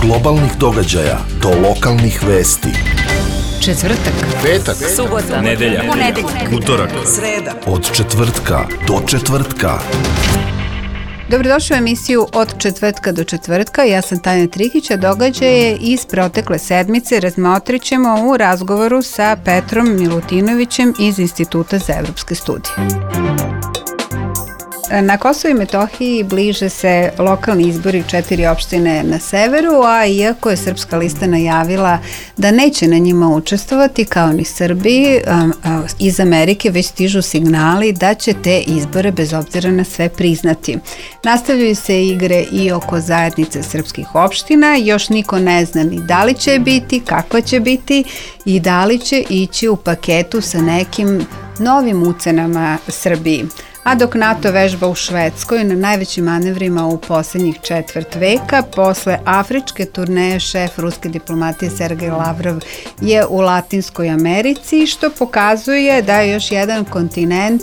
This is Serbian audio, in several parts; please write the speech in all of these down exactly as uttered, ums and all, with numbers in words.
globalnih događaja do lokalnih vesti. Četvrtak, petak, subota, nedelja, ponedeljak, utorak, sreda. Od četvrtka do četvrtka. Dobrodošli u emisiju Od četvrtka do četvrtka. Ja sam Tanja Trikić, a događaje iz protekle sedmice razmotrit ćemo u razgovoru sa Petrom Milutinovićem iz Instituta za evropske studije. Na Kosovu i Metohiji bliže se lokalni izbori četiri opštine na severu, a iako je Srpska lista najavila da neće na njima učestvovati, kao ni Srbiji, iz Amerike već stižu signali da će te izbore bez obzira na sve priznati. Nastavljaju se igre i oko zajednice srpskih opština, još niko ne zna ni da li će biti, kakva će biti i da li će ići u paketu sa nekim novim ucenama Srbiji. A dok NATO vežba u Švedskoj na najvećim manevrima u posljednjih četvrt veka, posle afričke turneje šef ruske diplomatije Sergej Lavrov je u Latinskoj Americi, što pokazuje da još jedan kontinent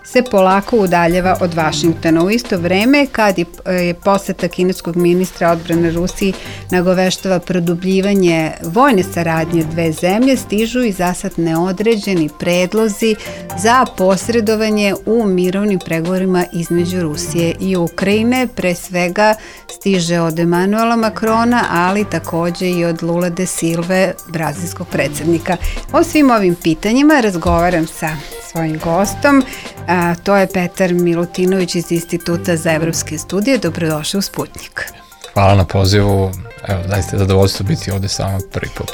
se polako udaljeva od Vašingtona. U isto vreme, kad je poseta kineskog ministra odbrane Rusiji nagoveštava produbljivanje vojne saradnje dve zemlje, stižu i zasad neodređeni predlozi za posredovanje u mirovnim pregovorima između Rusije i Ukrajine. Pre svega stiže od Emanuela Macrona, ali takođe i od Lula de Silve, brazilskog predsjednika. O svim ovim pitanjima razgovaram sa svojim gostom. A, to je Petar Milutinović iz Instituta za evropske studije. Dobrodošli u Sputnjik. Hvala na pozivu. Evo, zaista je zadovoljstvo biti ovde s vama prvi put.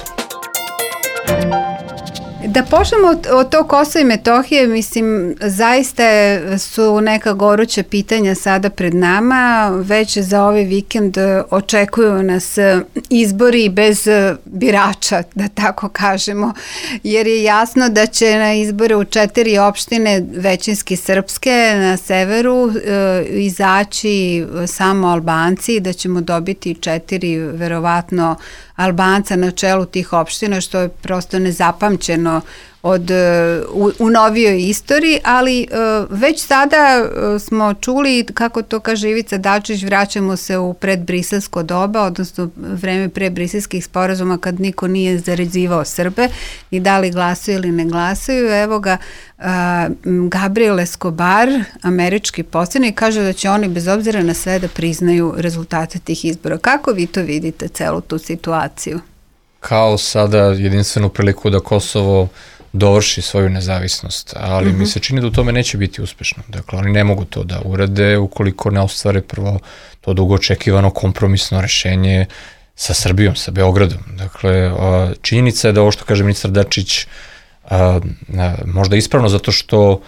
Da počnemo od, od tog Kosova i Metohije, mislim, zaista su neka goruća pitanja sada pred nama. Već za ovaj vikend očekuju nas izbori bez birača, da tako kažemo, jer je jasno da će na izbore u četiri opštine, većinski srpske, na severu e, izaći samo Albanci, da ćemo dobiti četiri, verovatno, Albanca na čelu tih opština, što je prosto nezapamćeno od, u, u novijoj istoriji, ali uh, već sada uh, smo čuli, kako to kaže Ivica Dačić, vraćamo se u predbriselsko doba, odnosno vreme predbriselskih sporazuma kad niko nije zarezivao Srbe i da li glasaju ili ne glasaju. Evo ga, uh, Gabriel Escobar, američki poslanik, kaže da će oni bez obzira na sve da priznaju rezultate tih izbora. Kako vi to vidite, celu tu situaciju? Kao sada jedinstvenu priliku da Kosovo dovrši svoju nezavisnost, ali mm-hmm. mi se čini da u tome neće biti uspešno. Dakle, oni ne mogu to da urade ukoliko ne ostvare prvo to dugo očekivano kompromisno rešenje sa Srbijom, sa Beogradom. Dakle, činjenica je da ovo što kaže ministar Dačić možda ispravno zato što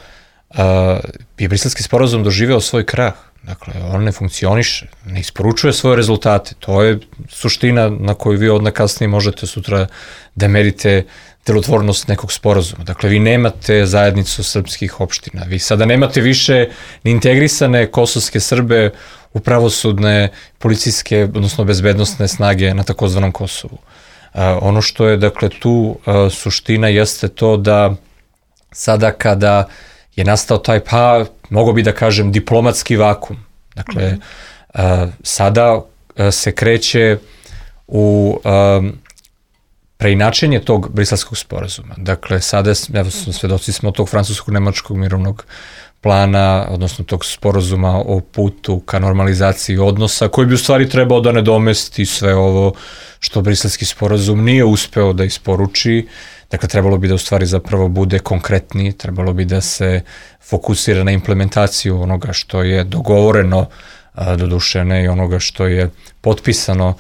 je Briselski sporazum doživeo svoj krah. Dakle, on ne funkcioniše, ne isporučuje svoje rezultate. To je suština na koju vi odna kasnije možete sutra da merite delotvornost nekog sporazuma. Dakle, vi nemate zajednicu srpskih opština. Vi sada nemate više ni integrisane kosovske Srbe u pravosudne, policijske, odnosno bezbednostne snage na takozvanom Kosovu. Uh, ono što je, dakle, tu uh, suština jeste to da sada kada je nastao taj, pa, mogo bi da kažem, diplomatski vakum. Dakle, mm. uh, sada uh, se kreće u um, preinačenje tog briselskog sporazuma. Dakle, sada, evo, svedoci smo tog francusko-nemačkog mirovnog plana, odnosno tog sporazuma o putu ka normalizaciji odnosa, koji bi u stvari trebao da nadomesti sve ovo što briselski sporazum nije uspeo da isporuči. Dakle, trebalo bi da u stvari zapravo bude konkretniji, trebalo bi da se fokusira na implementaciju onoga što je dogovoreno, doduše ne i onoga što je potpisano,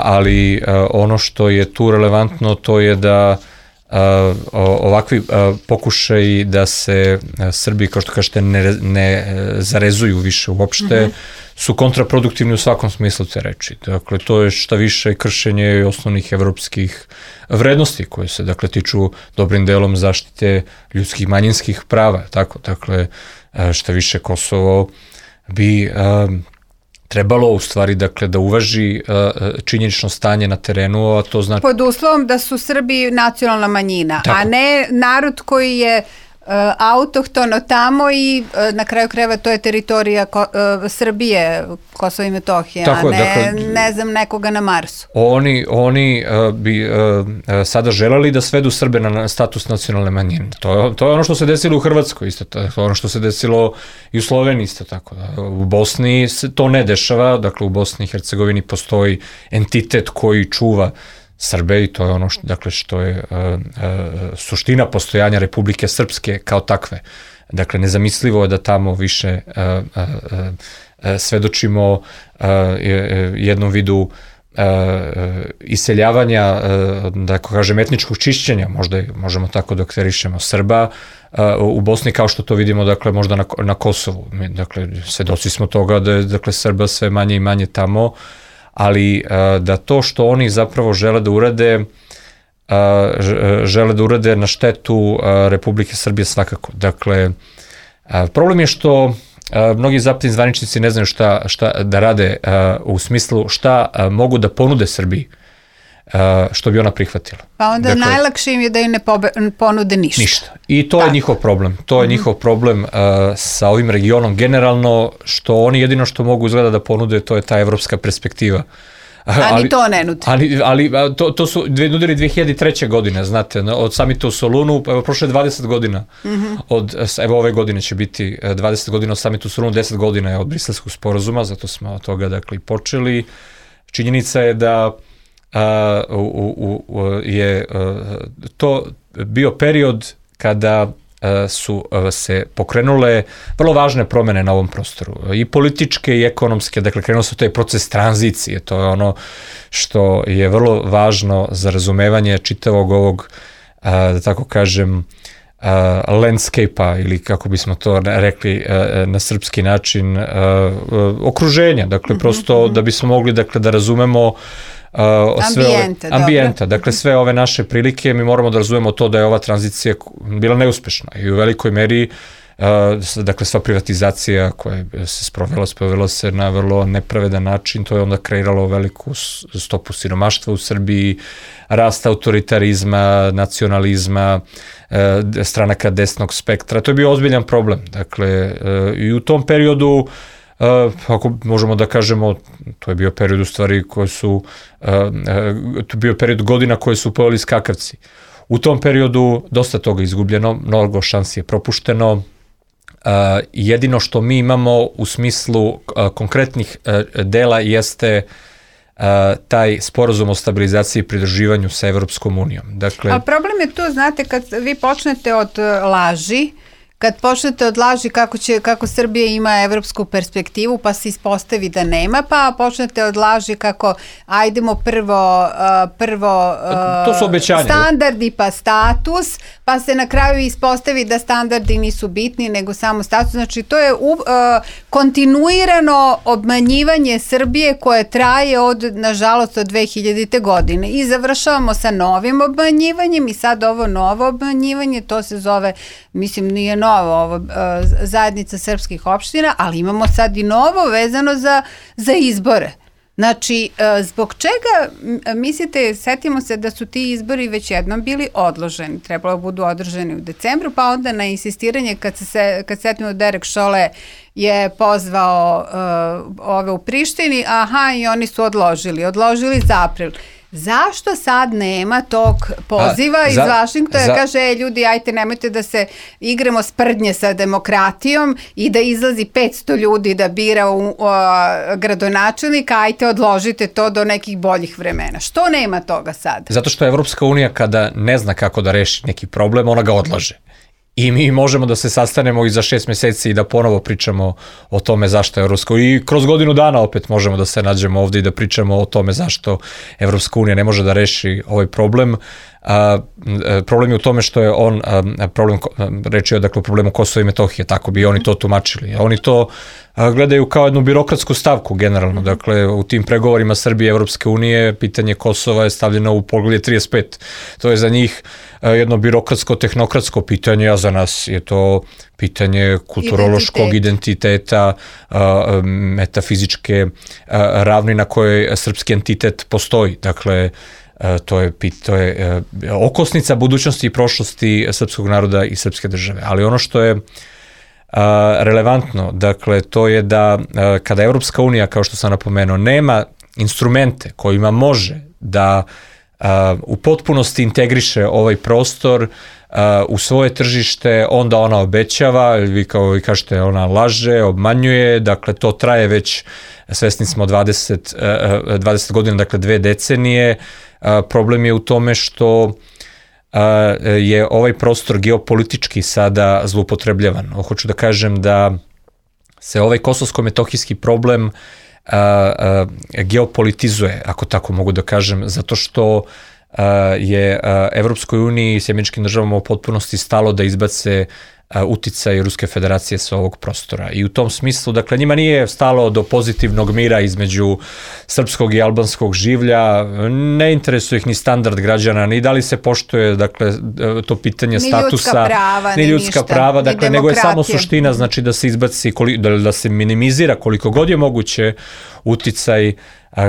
ali ono što je tu relevantno to je da ovakvi pokušaji da se Srbi, kao što kažete, ne, ne zarezuju više uopšte, mm-hmm. su kontraproduktivni u svakom smislu te reči. Dakle, to je šta više kršenje osnovnih evropskih vrednosti koje se, dakle, tiču dobrim delom zaštite ljudskih manjinskih prava. Tako, dakle, šta više Kosovo bi um, trebalo u stvari, dakle, da uvaži uh, činjenično stanje na terenu, a to znači... Pod uslovom da su Srbi nacionalna manjina, tako. A ne narod koji je autohtono tamo i na kraju krajeva to je teritorija Ko, uh, Srbije, Kosovo i Metohija, a ne, dakle, ne znam, nekoga na Marsu. Oni, oni uh, bi uh, sada želeli da svedu Srbe na status nacionalne manjine. To je, to je ono što se desilo u Hrvatskoj, isto to je ono što se desilo i u Sloveniji, isto tako. Da. U Bosni se to ne dešava, dakle u Bosni i Hercegovini postoji entitet koji čuva Srbe i to je ono što, dakle, što je uh, uh, suština postojanja Republike Srpske kao takve. Dakle, nezamislivo je da tamo više uh, uh, uh, svedočimo uh, jednom vidu uh, iseljavanja, uh, da kažem, etničkog čišćenja, možda možemo tako da okterišemo Srba uh, u Bosni, kao što to vidimo, dakle, možda na, na Kosovu. Dakle, svedoci smo toga da je, dakle, Srba sve manje i manje tamo, ali da to što oni zapravo žele da urade, žele da urade na štetu Republike Srbije svakako. Dakle, problem je što mnogi zapadni zvaničnici ne znaju šta, šta da rade u smislu šta mogu da ponude Srbiji, što bi ona prihvatila. Pa onda dakle, najlakše im je da im ne pobe, ponude ništa. Ništa. I to Tako. je njihov problem. To je mm-hmm. njihov problem uh, sa ovim regionom generalno, što oni jedino što mogu izgleda da ponude, to je ta evropska perspektiva. A ali, ni to ne nudi. Ali, ali to, to su nudili dve hiljade treće. godine, znate, od samita u Solunu, evo prošle dvadeset godina, mm-hmm. od, evo ove godine će biti dvadeset godina od samita u Solunu, deset godina je od Briselskog sporazuma, zato smo od toga dakle i počeli. Činjenica je da Uh, u, u, je uh, to bio period kada uh, su uh, se pokrenule vrlo važne promene na ovom prostoru, i političke i ekonomske, dakle krenuo se taj proces tranzicije, to je ono što je vrlo važno za razumevanje čitavog ovog, uh, da tako kažem, uh, landscape-a, ili kako bismo to rekli uh, na srpski način, uh, uh, okruženja, dakle, mm-hmm. prosto da bismo mogli, dakle, da razumemo Uh, sve ambijenta, ove, ambijenta, dakle sve ove naše prilike, mi moramo da razumemo to da je ova tranzicija bila neuspešna i u velikoj meri uh, dakle sva privatizacija koja se sprovela, sprovela se na vrlo nepravedan način, to je onda kreiralo veliku stopu siromaštva u Srbiji, rast autoritarizma, nacionalizma, uh, stranaka desnog spektra, to je bio ozbiljan problem, dakle uh, i u tom periodu Uh, ako možemo da kažemo, to je bio period u stvari koji su, uh, uh, to je bio period godina koje su pojeli skakavci. U tom periodu dosta toga izgubljeno, mnogo šansi je propušteno. Uh, jedino što mi imamo u smislu uh, konkretnih uh, dela jeste uh, taj sporazum o stabilizaciji i pridruživanju sa Evropskom unijom. Dakle, a problem je tu, znate, kad vi počnete od laži, kad počnete od laži kako, će, kako Srbija ima evropsku perspektivu, pa se ispostavi da nema, pa počnete od laži kako ajdemo prvo, uh, prvo uh, to su obećanja, standardi pa status, pa se na kraju ispostavi da standardi nisu bitni nego samo status. Znači to je uh, kontinuirano obmanjivanje Srbije koje traje od, nažalost, od dve hiljadite. godine. I završavamo sa novim obmanjivanjem i sad ovo novo obmanjivanje, to se zove, mislim, nije novo, ovo, zajednica srpskih opština, ali imamo sad i novo vezano za, za izbore. Znači, zbog čega, mislite, setimo se da su ti izbori već jednom bili odloženi, trebalo budu održani u decembru, pa onda na insistiranje, kad se kad setimo Derek Šole je pozvao uh, ove u Prištini, aha, i oni su odložili, odložili za april. Zašto sad nema tog poziva A, iz za, Vašingtona? Za... Kaže, e, ljudi, ajte, nemojte da se igramo sprdnje sa demokratijom i da izlazi petsto ljudi da bira u, u, gradonačelnika, ajte, odložite to do nekih boljih vremena. Što nema toga sad? Zato što Evropska unija kada ne zna kako da reši neki problem, ona ga odlaže. I mi možemo da se sastanemo i za šest meseci i da ponovo pričamo o tome zašto je Evropska unija. I kroz godinu dana opet možemo da se nađemo ovde i da pričamo o tome zašto Evropska unija ne može da reši ovaj problem. A, problem je u tome što je on, a, problem, reči je dakle o problemu Kosova i Metohije, tako bi oni to tumačili. Oni to a, gledaju kao jednu birokratsku stavku generalno. Dakle, u tim pregovorima Srbije i Evropske unije pitanje Kosova je stavljeno u poglavlje trideset pet. To je za njih a, jedno birokratsko, tehnokratsko pitanje, a za nas je to pitanje kulturološkog identiteta, a, metafizičke a, ravni na kojoj srpski entitet postoji. Dakle, to je, to je okosnica budućnosti i prošlosti srpskog naroda i srpske države. Ali ono što je relevantno, dakle, to je da kada Evropska unija, kao što sam napomenuo, nema instrumente kojima može da u potpunosti integriše ovaj prostor u svoje tržište, onda ona obećava, vi kao vi kažete, ona laže, obmanjuje, dakle to traje već, svesni smo dvadeset, dvadeset godina, dakle dve decenije. Problem je u tome što je ovaj prostor geopolitički sada zloupotrebljavan. Hoću da kažem da se ovaj kosovsko-metohijski problem a, a, geopolitizuje, ako tako mogu da kažem, zato što a, je a, Evropskoj uniji i Sjemeničkim državama u potpunosti stalo da izbace uticaj Ruske federacije sa ovog prostora. I u tom smislu, dakle, njima nije stalo do pozitivnog mira između srpskog i albanskog življa, ne interesuje ih ni standard građana, ni da li se poštuje, dakle, to pitanje ni statusa, ljudska prava, ni ljudska ništa, prava, dakle, nego je samo suština, znači da se izbaci, da, da se minimizira koliko god je moguće uticaj,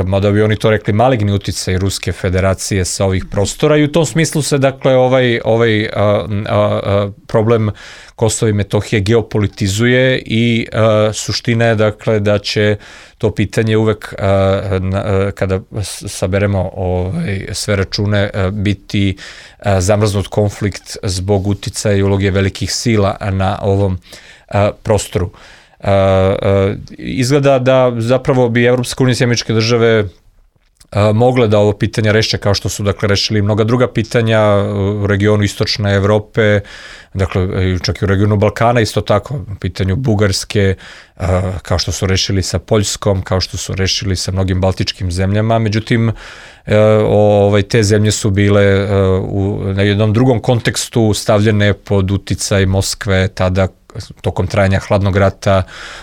mada bi oni to rekli, maligni uticaj Ruske federacije sa ovih prostora, i u tom smislu se, dakle, ovaj, ovaj a, a, a, problem Kosova i Metohije geopolitizuje i a, suština je, dakle, da će to pitanje uvek a, na, a, kada saberemo ovaj, sve račune a, biti a, zamrznut konflikt zbog uticaja i uloge velikih sila na ovom a, prostoru. Uh, uh, izgleda da zapravo bi Evropska unija i Sjemeničke države uh, mogle da ovo pitanje reše kao što su, dakle, rešili mnoga druga pitanja u regionu istočne Evrope, dakle, čak i u regionu Balkana isto tako, u pitanju Bugarske, uh, kao što su rešili sa Poljskom, kao što su rešili sa mnogim baltičkim zemljama. Međutim, uh, ovaj, te zemlje su bile uh, u, na jednom drugom kontekstu stavljene pod uticaj Moskve tada, tokom trajanja hladnog rata,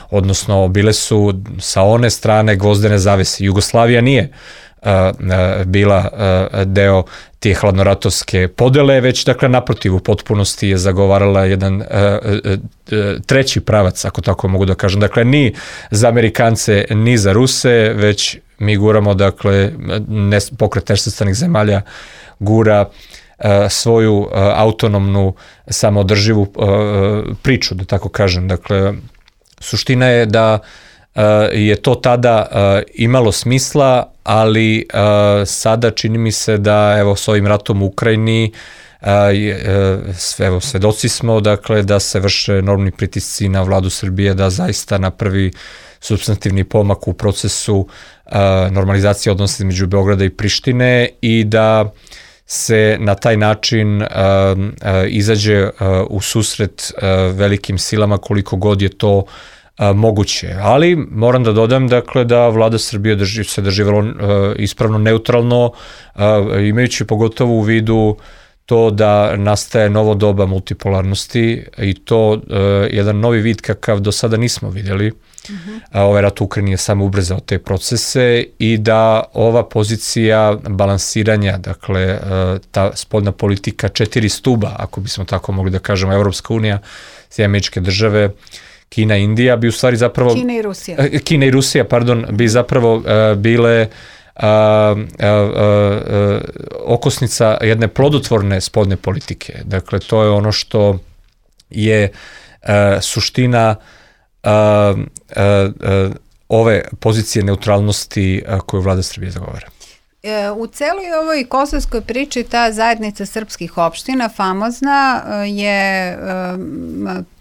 odnosno bile su sa one strane gvozdene zavese. Jugoslavija nije uh, uh, bila uh, deo te hladnoratovske podele, već, dakle, naprotiv, u potpunosti je zagovarala jedan uh, uh, uh, treći pravac, ako tako mogu da kažem. Dakle, ni za Amerikance, ni za Ruse, već mi guramo, dakle, ne, pokret nesvrstanih zemalja gura svoju uh, autonomnu, samoodrživu uh, priču, da tako kažem. Dakle, suština je da uh, je to tada uh, imalo smisla, ali uh, sada čini mi se da, evo, s ovim ratom u Ukrajini, uh, uh, sve, evo, svedoci smo, dakle, da se vrše enormni pritisci na vladu Srbije da zaista napravi supstantivni pomak u procesu uh, normalizacije odnosa između Beograda i Prištine i da se na taj način uh, uh, izađe uh, u susret uh, velikim silama koliko god je to uh, moguće. Ali moram da dodam, dakle, da vlada Srbije drži, se drži vrlo uh, ispravno neutralno, uh, imajući pogotovo u vidu to da nastaje novo doba multipolarnosti i to uh, jedan novi vid kakav do sada nismo vidjeli. Uh-huh. A ovaj rat u Ukrajini je samo ubrzao te procese i da ova pozicija balansiranja, dakle, ta spoljna politika četiri stuba, ako bismo tako mogli da kažemo, Evropska unija, Sjemeničke države, Kina i Indija, bi u stvari zapravo... Kina i Rusija. Kina i Rusija, pardon, bi zapravo uh, bile uh, uh, uh, okosnica jedne plodotvorne spoljne politike. Dakle, to je ono što je uh, suština Uh, uh, uh, ove pozicije neutralnosti uh, koju vlada Srbije zagovara. U celoj ovoj kosovskoj priči ta zajednica srpskih opština, famozna, je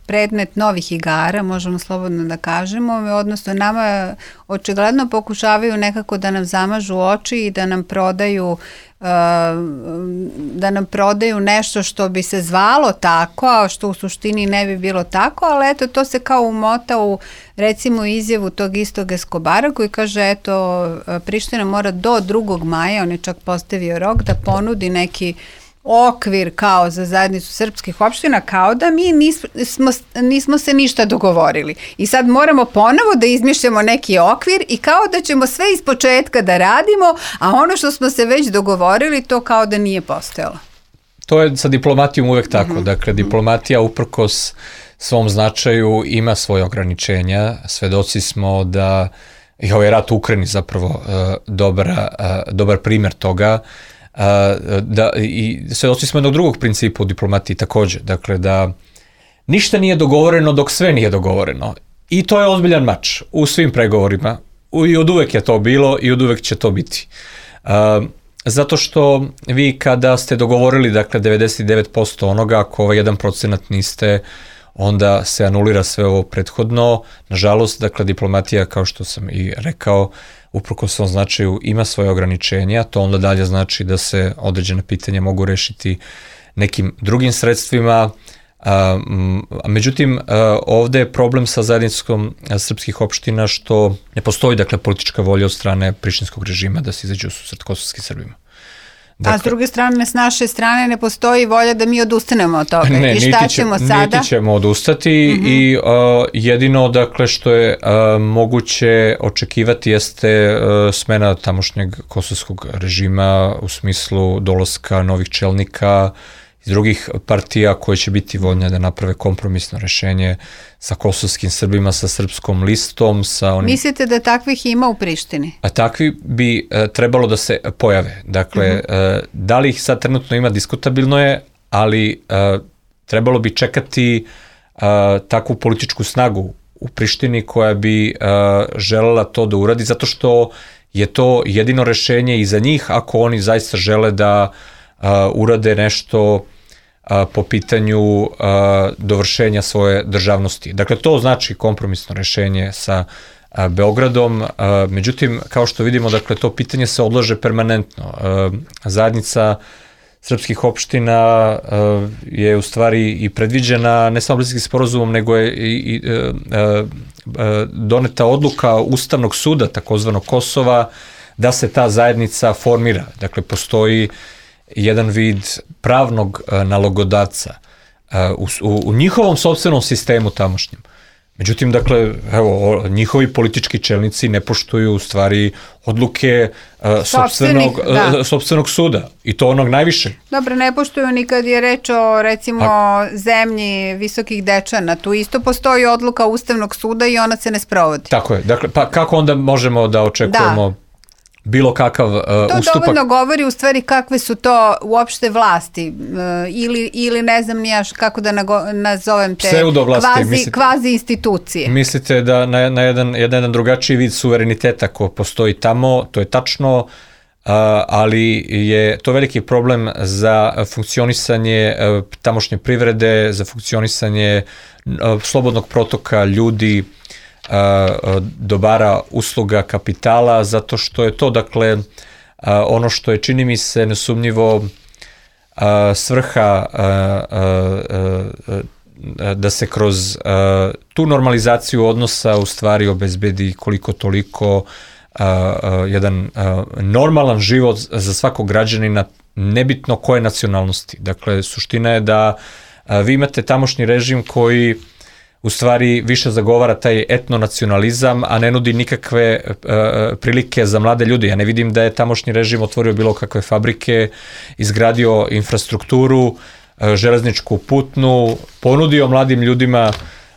predmet novih igara, možemo slobodno da kažemo, odnosno nama očigledno pokušavaju nekako da nam zamažu oči i da nam prodaju da nam prodaju nešto što bi se zvalo tako, a što u suštini ne bi bilo tako, ali eto, to se kao umota u, recimo, izjavu tog istog Eskobara koji kaže, eto, Priština mora do drugog maja, on je čak postavio rok, da ponudi neki okvir kao za zajednicu srpskih opština, kao da mi nismo, nismo se ništa dogovorili. I sad moramo ponovo da izmišljamo neki okvir i kao da ćemo sve iz početka da radimo, a ono što smo se već dogovorili, to kao da nije postojalo. To je sa diplomatijom uvek tako. Mm-hmm. Dakle, diplomatija uprkos svom značaju ima svoje ograničenja. Svedoci smo da i ovaj rat u Ukrajini zapravo uh, dobar, uh, dobar primjer toga. da, i svedoci smo jednog drugog principa u diplomatiji takođe, dakle da ništa nije dogovoreno dok sve nije dogovoreno. I to je ozbiljan mač u svim pregovorima. I od uvek je to bilo i od uvek će to biti. Zato što vi kada ste dogovorili, dakle, devedeset devet posto onoga, ako ovaj jedan procenat niste, onda se anulira sve ovo prethodno. Nažalost, dakle, diplomatija, kao što sam i rekao, uprkos svom značaju ima svoje ograničenja, to onda dalje znači da se određene pitanja mogu rešiti nekim drugim sredstvima. A, a međutim, a, ovde je problem sa zajednicom srpskih opština što ne postoji, dakle, politička volja od strane prištinskog režima da se izađe u susret kosovskim Srbima. Dakle, a s druge strane, s naše strane ne postoji volja da mi odustanemo od toga. Ne, i šta niti ćemo će, sada? Niti ćemo odustati mm-hmm. i uh, jedino, dakle, što je uh, moguće očekivati jeste uh, smena tamošnjeg kosovskog režima u smislu dolaska novih čelnika iz drugih partija koje će biti voljne da naprave kompromisno rešenje sa kosovskim Srbima, sa srpskom listom, sa onim... Mislite da takvih ima u Prištini? A takvi bi uh, trebalo da se pojave. Dakle, mm-hmm. uh, da li ih sad trenutno ima, diskutabilno je, ali uh, trebalo bi čekati uh, takvu političku snagu u Prištini koja bi uh, želela to da uradi, zato što je to jedino rešenje i za njih ako oni zaista žele da Uh, urade nešto uh, po pitanju uh, dovršenja svoje državnosti. Dakle, to znači kompromisno rešenje sa uh, Beogradom. Uh, međutim, kao što vidimo, dakle, to pitanje se odlaže permanentno. Uh, zajednica srpskih opština uh, je u stvari i predviđena ne samo Briselskim sporazumom, nego je i, i uh, uh, doneta odluka Ustavnog suda, takozvanog Kosova, da se ta zajednica formira. Dakle, postoji jedan vid pravnog uh, nalogodavca uh, u, u njihovom sopstvenom sistemu tamošnjem. Međutim, dakle, evo, njihovi politički čelnici ne poštuju u stvari odluke uh, sopstvenog, uh, sopstvenog suda i to onog najvišeg. Dobro, ne poštuju ni kad je reč o, recimo, A... zemlji visokih dečana. Tu isto postoji odluka Ustavnog suda i ona se ne sprovodi. Tako je. Dakle, pa kako onda možemo da očekujemo... Da. bilo kakav uh, to ustupak. To dovoljno govori u stvari kakve su to uopšte vlasti uh, ili, ili ne znam ni ja kako da nago, nazovem te kvazi, mislite, kvazi institucije. Mislite da na, na jedan, jedan, jedan drugačiji vid suvereniteta ko postoji tamo, to je tačno, uh, ali je to veliki problem za funkcionisanje uh, tamošnje privrede, za funkcionisanje uh, slobodnog protoka ljudi, dobara, usluga, kapitala, zato što je to, dakle, ono što je, čini mi se, nesumnjivo svrha da se kroz tu normalizaciju odnosa u stvari obezbedi koliko toliko jedan normalan život za svakog građanina, nebitno koje nacionalnosti. Dakle, suština je da vi imate tamošnji režim koji u stvari više zagovara taj etnonacionalizam, a ne nudi nikakve uh, prilike za mlade ljude. Ja ne vidim da je tamošnji režim otvorio bilo kakve fabrike, izgradio infrastrukturu, uh, železničku, putnu, ponudio mladim ljudima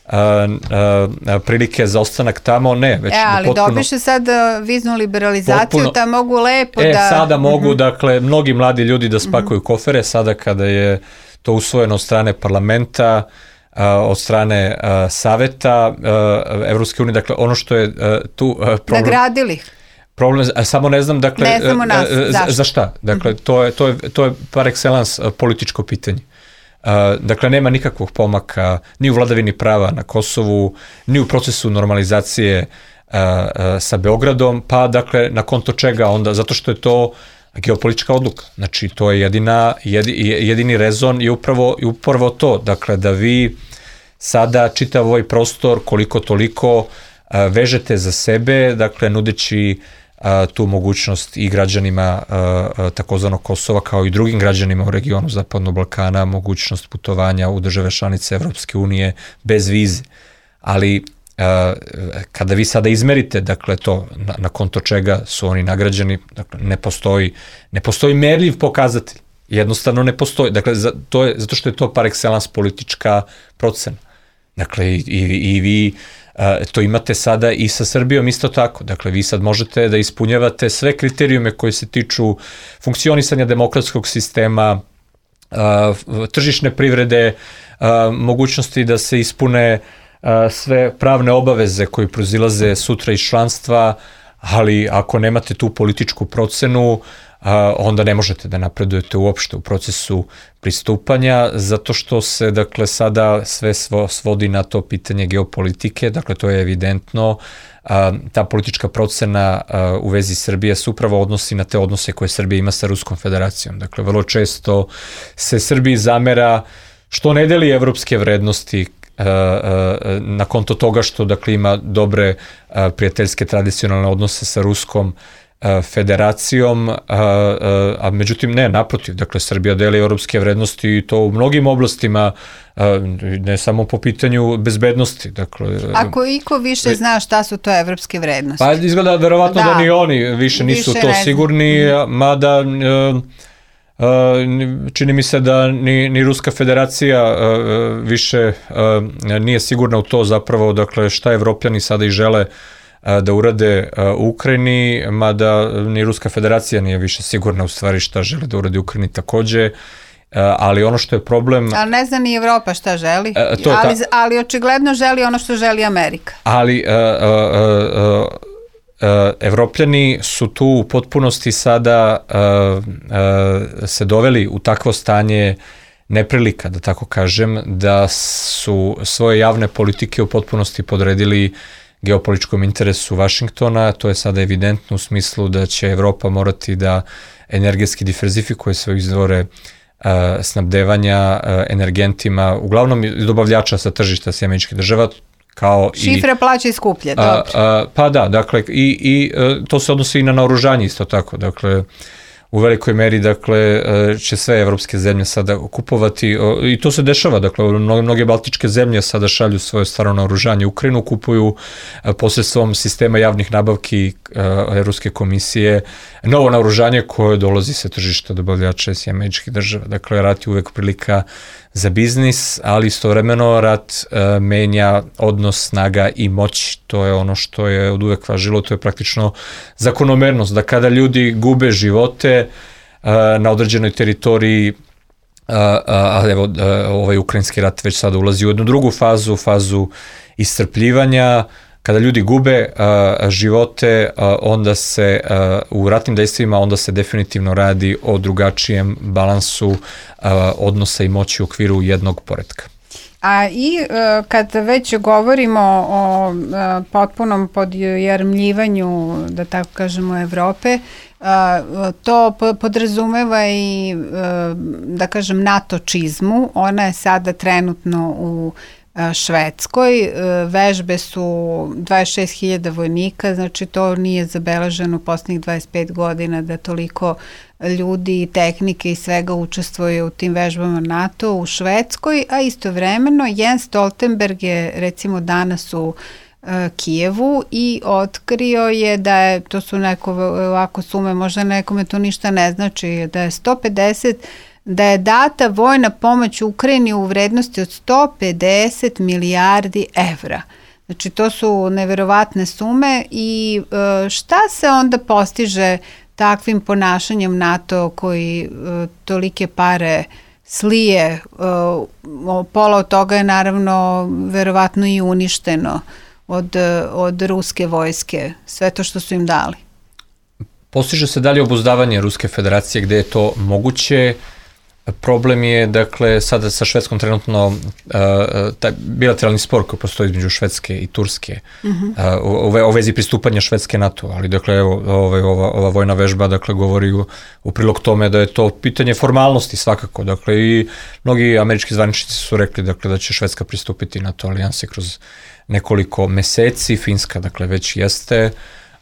uh, uh, prilike za ostanak tamo, ne. Već e, ali potpuno, dobiše sad viznu liberalizaciju, potpuno, da mogu lepo e, da... E, sada mogu, uh-huh. dakle, mnogi mladi ljudi da spakuju uh-huh. kofere, sada kada je to usvojeno od strane parlamenta, Uh, od strane uh, saveta uh, Evropske unije, dakle ono što je uh, tu uh, problem... Nagradili. Problem, a samo ne znam, dakle... Ne znamo nas, uh, za, za šta? Dakle, mm-hmm. to, je, to, je, to je par excellence uh, političko pitanje. Uh, dakle, nema nikakvog pomaka ni u vladavini prava na Kosovu, ni u procesu normalizacije uh, uh, sa Beogradom, pa dakle, na konto čega onda, zato što je to geopolitička odluka. Znači, to je jedina, jedini rezon je upravo, je upravo to. Dakle, da vi sada čitav ovaj prostor koliko toliko a, vežete za sebe, dakle, nudeći a, tu mogućnost i građanima a, a, takozvanog Kosova, kao i drugim građanima u regionu Zapadnog Balkana, mogućnost putovanja u države članice Evropske unije bez vize. Ali Uh, kada vi sada izmerite, dakle, to na, na konto čega su oni nagrađeni, dakle, ne postoji, ne postoji merljiv pokazatelj. Jednostavno ne postoji. Dakle, za, to je, zato što je to par excellence politička procena. Dakle, i, i, i vi to imate sada i sa Srbijom isto tako. Dakle, vi sad možete da ispunjavate sve kriterijume koji se tiču funkcionisanja demokratskog sistema, tržišne privrede, mogućnosti da se ispune sve pravne obaveze koje proizilaze sutra iz članstva, ali ako nemate tu političku procenu, onda ne možete da napredujete uopšte u procesu pristupanja, zato što se, dakle, sada sve svodi na to pitanje geopolitike, dakle, to je evidentno. Ta politička procena u vezi Srbije se upravo odnosi na te odnose koje Srbija ima sa Ruskom federacijom. Dakle, vrlo često se Srbiji zamera što ne deli evropske vrednosti na konto toga što, dakle, ima dobre prijateljske tradicionalne odnose sa Ruskom federacijom, a, a, a međutim ne, naprotiv, dakle, Srbija deli evropske vrednosti i to u mnogim oblastima, a, ne samo po pitanju bezbednosti. Dakle, ako iko više zna šta su to evropske vrednosti? Pa izgleda verovatno da, da ni oni više nisu više to ne sigurni, mada a, a, čini mi se da ni, ni Ruska federacija a, više a, nije sigurna u to zapravo, dakle, šta Evropljani sada i žele da urade u Ukrajini, mada ni Ruska federacija nije više sigurna u stvari šta žele da urade u Ukrajini takođe, ali ono što je problem... Ali ne zna ni Evropa šta želi, to ali, ta... ali očigledno želi ono što želi Amerika. Ali a, a, a, a, Evropljani su tu u potpunosti sada a, a, se doveli u takvo stanje neprilika, da tako kažem, da su svoje javne politike u potpunosti podredili geopolitičkom interesu Vašingtona. To je sada evidentno u smislu da će Evropa morati da energetski diverzifikuje svoje izvore uh, snabdevanja uh, energentima, uglavnom dobavljača sa tržišta Sjedinjenih Američkih Država, kao šifre plaća i skuplje, dobro. A, a, pa da, dakle, i, i uh, to se odnosi i na naoružanje isto tako, dakle, u velikoj meri, dakle, će sve evropske zemlje sada kupovati, i to se dešava, dakle, mnoge, mnoge baltičke zemlje sada šalju svoje staro naoružanje u Ukrajinu, kupuju posredstvom sistema javnih nabavki Evropske komisije novo naoružanje koje dolazi sa tržišta dobavljača Sjedinjenih Američkih Država. Dakle, rat je uvek prilika za biznis, ali istovremeno rat uh, menja odnos snaga i moći. To je ono što je od uvek važilo, to je praktično zakonomernost, da kada ljudi gube živote uh, na određenoj teritoriji, uh, a evo uh, ovaj ukrajinski rat već sada ulazi u jednu drugu fazu, fazu iscrpljivanja, kada ljudi gube uh, živote, uh, onda se uh, u ratnim dejstvima onda se definitivno radi o drugačijem balansu uh, odnosa i moći u okviru jednog poretka. A i uh, kad već govorimo o uh, potpunom podjarmljivanju, da tako kažemo, Evrope, uh, to podrazumeva i, uh, da kažem, NATO čizmu. Ona je sada trenutno u Švedskoj. Vežbe su dvadeset šest hiljada vojnika, znači to nije zabeleženo u poslednjih dvadeset pet godina da toliko ljudi, tehnike i svega učestvuje u tim vežbama NATO u Švedskoj, a istovremeno Jens Stoltenberg je recimo danas u Kijevu i otkrio je da je, to su neko ovako sume, možda nekome to ništa ne znači, da je sto pedeset da je data vojna pomoć Ukrajini u vrednosti od sto pedeset milijardi evra. Znači, to su neverovatne sume i šta se onda postiže takvim ponašanjem NATO koji tolike pare slije? Pola od toga je naravno verovatno i uništeno od, od ruske vojske, sve to što su im dali. Postiže se dalje obuzdavanje Ruske federacije gde je to moguće. Problem je, dakle, sada sa Švedskom trenutno uh, taj bilateralni spor koji postoji između Švedske i Turske uh-huh. uh, u, u vezi pristupanja Švedske NATO, ali, dakle, evo, ovaj, ova, ova vojna vežba, dakle, govori u, u prilog tome da je to pitanje formalnosti svakako, dakle, i mnogi američki zvaničnici su rekli, dakle, da će Švedska pristupiti NATO alijanse kroz nekoliko meseci, Finska, dakle, već jeste.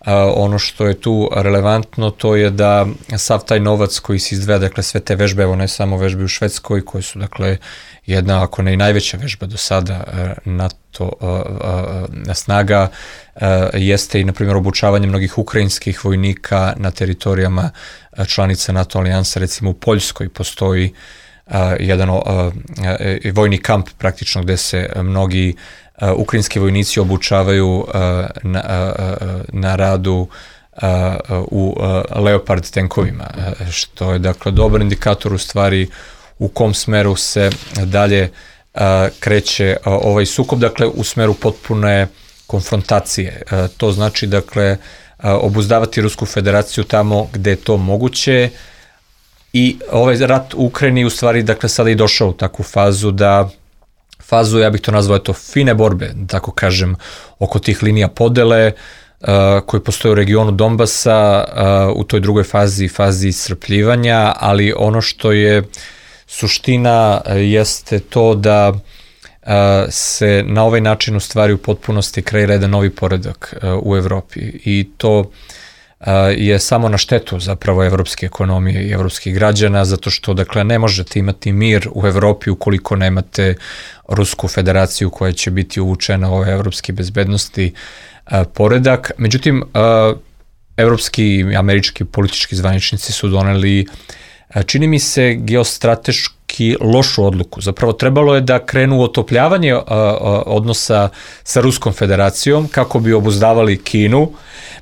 Uh, ono što je tu relevantno to je da sav taj novac koji se izdvaja, dakle sve te vežbe, evo ne samo vežbe u Švedskoj koje su, dakle, jedna, ako ne i najveća vežba do sada uh, NATO uh, uh, snaga, uh, jeste i, na primjer, obučavanje mnogih ukrajinskih vojnika na teritorijama uh, članica NATO alijansa. Recimo u Poljskoj postoji uh, jedan uh, uh, vojni kamp praktično gde se mnogi ukrajinski vojnici obučavaju na, na radu u Leopard tenkovima, što je dakle dobar indikator u stvari u kom smeru se dalje kreće ovaj sukob, dakle u smeru potpune konfrontacije. To znači dakle obuzdavati Rusku federaciju tamo gde je to moguće i ovaj rat u Ukrajini u stvari dakle sada i došao u takvu fazu da fazu, ja bih to nazvao eto fine borbe, tako kažem, oko tih linija podele uh, koji postoje u regionu Donbasa uh, u toj drugoj fazi, fazi iscrpljivanja, ali ono što je suština uh, jeste to da uh, se na ovaj način u stvari u potpunosti kreira jedan novi poredak uh, u Evropi i to uh, je samo na štetu zapravo evropske ekonomije i evropskih građana, zato što dakle ne možete imati mir u Evropi ukoliko nemate Rusku federaciju koja će biti uvučena u ovaj evropski bezbednosti uh, poredak. Međutim, uh, evropski i američki politički zvaničnici su doneli, uh, čini mi se, geostrateški lošu odluku. Zapravo trebalo je da krenu u otopljavanje uh, uh, odnosa sa Ruskom federacijom kako bi obuzdavali Kinu.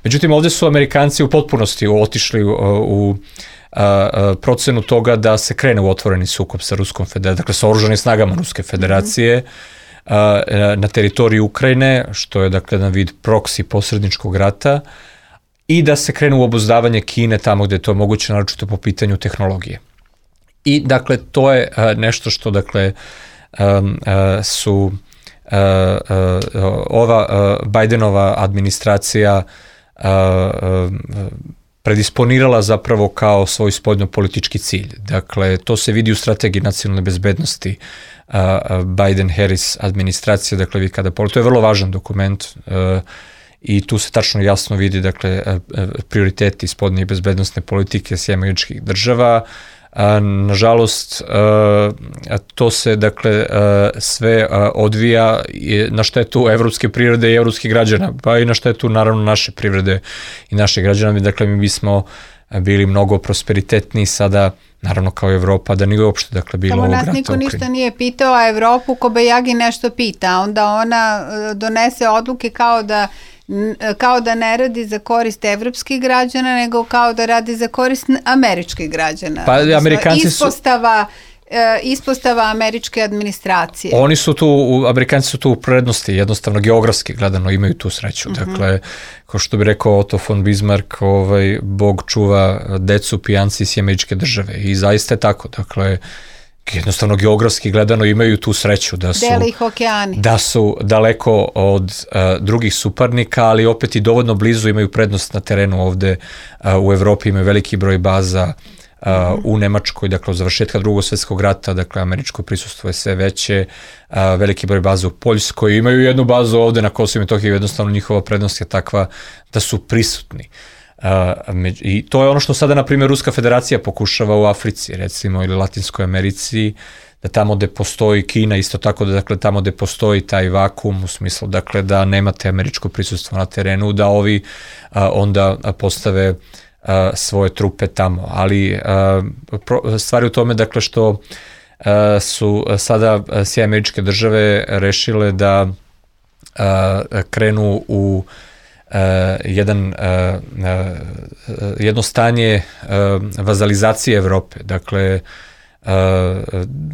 Međutim, ovde su Amerikanci u potpunosti otišli u, u a, a, procenu toga da se krene u otvoreni sukob sa Ruskom federacijom, dakle sa oružanim snagama Ruske federacije a, a, na teritoriji Ukrajine, što je dakle jedan vid proksi posredničkog rata, i da se krene u obuzdavanje Kine tamo gde je to moguće, naročito po pitanju tehnologije. I dakle to je a, nešto što dakle a, a, su a, a, ova a, Bidenova administracija a, predisponirala zapravo kao svoj spoljnopolitički cilj. Dakle, to se vidi u strategiji nacionalne bezbednosti Biden-Harris administracije, dakle, vi kada pogledate, to je vrlo važan dokument a, i tu se tačno jasno vidi, dakle, a, a, prioriteti spoljne i bezbednostne politike Sjedinjenih Američkih Država. A, nažalost, a, to se dakle a, sve a, odvija na štetu evropske privrede i evropskih građana, pa i na štetu naravno naše privrede i naših građana. Dakle, mi bismo bili mnogo prosperitetniji sada, naravno kao Evropa, da nije uopšte dakle bilo ovog rata u Ukrajini. Samo nas niko ništa nije pitao, a Evropu Kobajagi nešto pita, onda ona donese odluke kao da kao da ne radi za korist evropskih građana, nego kao da radi za korist američkih građana. Pa Amerikanci ispostava, su... ispostava američke administracije. Oni su tu, Amerikanci su tu u prednosti, jednostavno geografski gledano imaju tu sreću. Uh-huh. Dakle, kao što bi rekao Otto von Bismarck, ovaj, Bog čuva decu, pijanci iz Američke Države. I zaista je tako. Dakle, jednostavno geografski gledano imaju tu sreću da su, dele ih okeani. Da su daleko od uh, drugih suparnika, ali opet i dovoljno blizu, imaju prednost na terenu ovde uh, u Evropi, imaju veliki broj baza uh, mm-hmm. u Nemačkoj, dakle od završetka drugog svjetskog rata, dakle američko prisustvo je sve veće, uh, veliki broj baza u Poljskoj, imaju jednu bazu ovde na Kosovu i Metohiji, jednostavno njihova prednost je takva da su prisutni. Uh, I to je ono što sada, na primjer, Ruska federacija pokušava u Africi, recimo, ili Latinskoj Americi, da tamo gde postoji Kina, isto tako da dakle tamo gde postoji taj vakum, u smislu dakle da nemate američko prisustvo na terenu, da ovi uh, onda postave uh, svoje trupe tamo. Ali uh, pro, stvari u tome dakle što uh, su sada Sjedinjene Američke Države rešile da uh, krenu u Uh, jedan, uh, uh, jedno stanje uh, vazalizacije Evrope. Dakle, uh,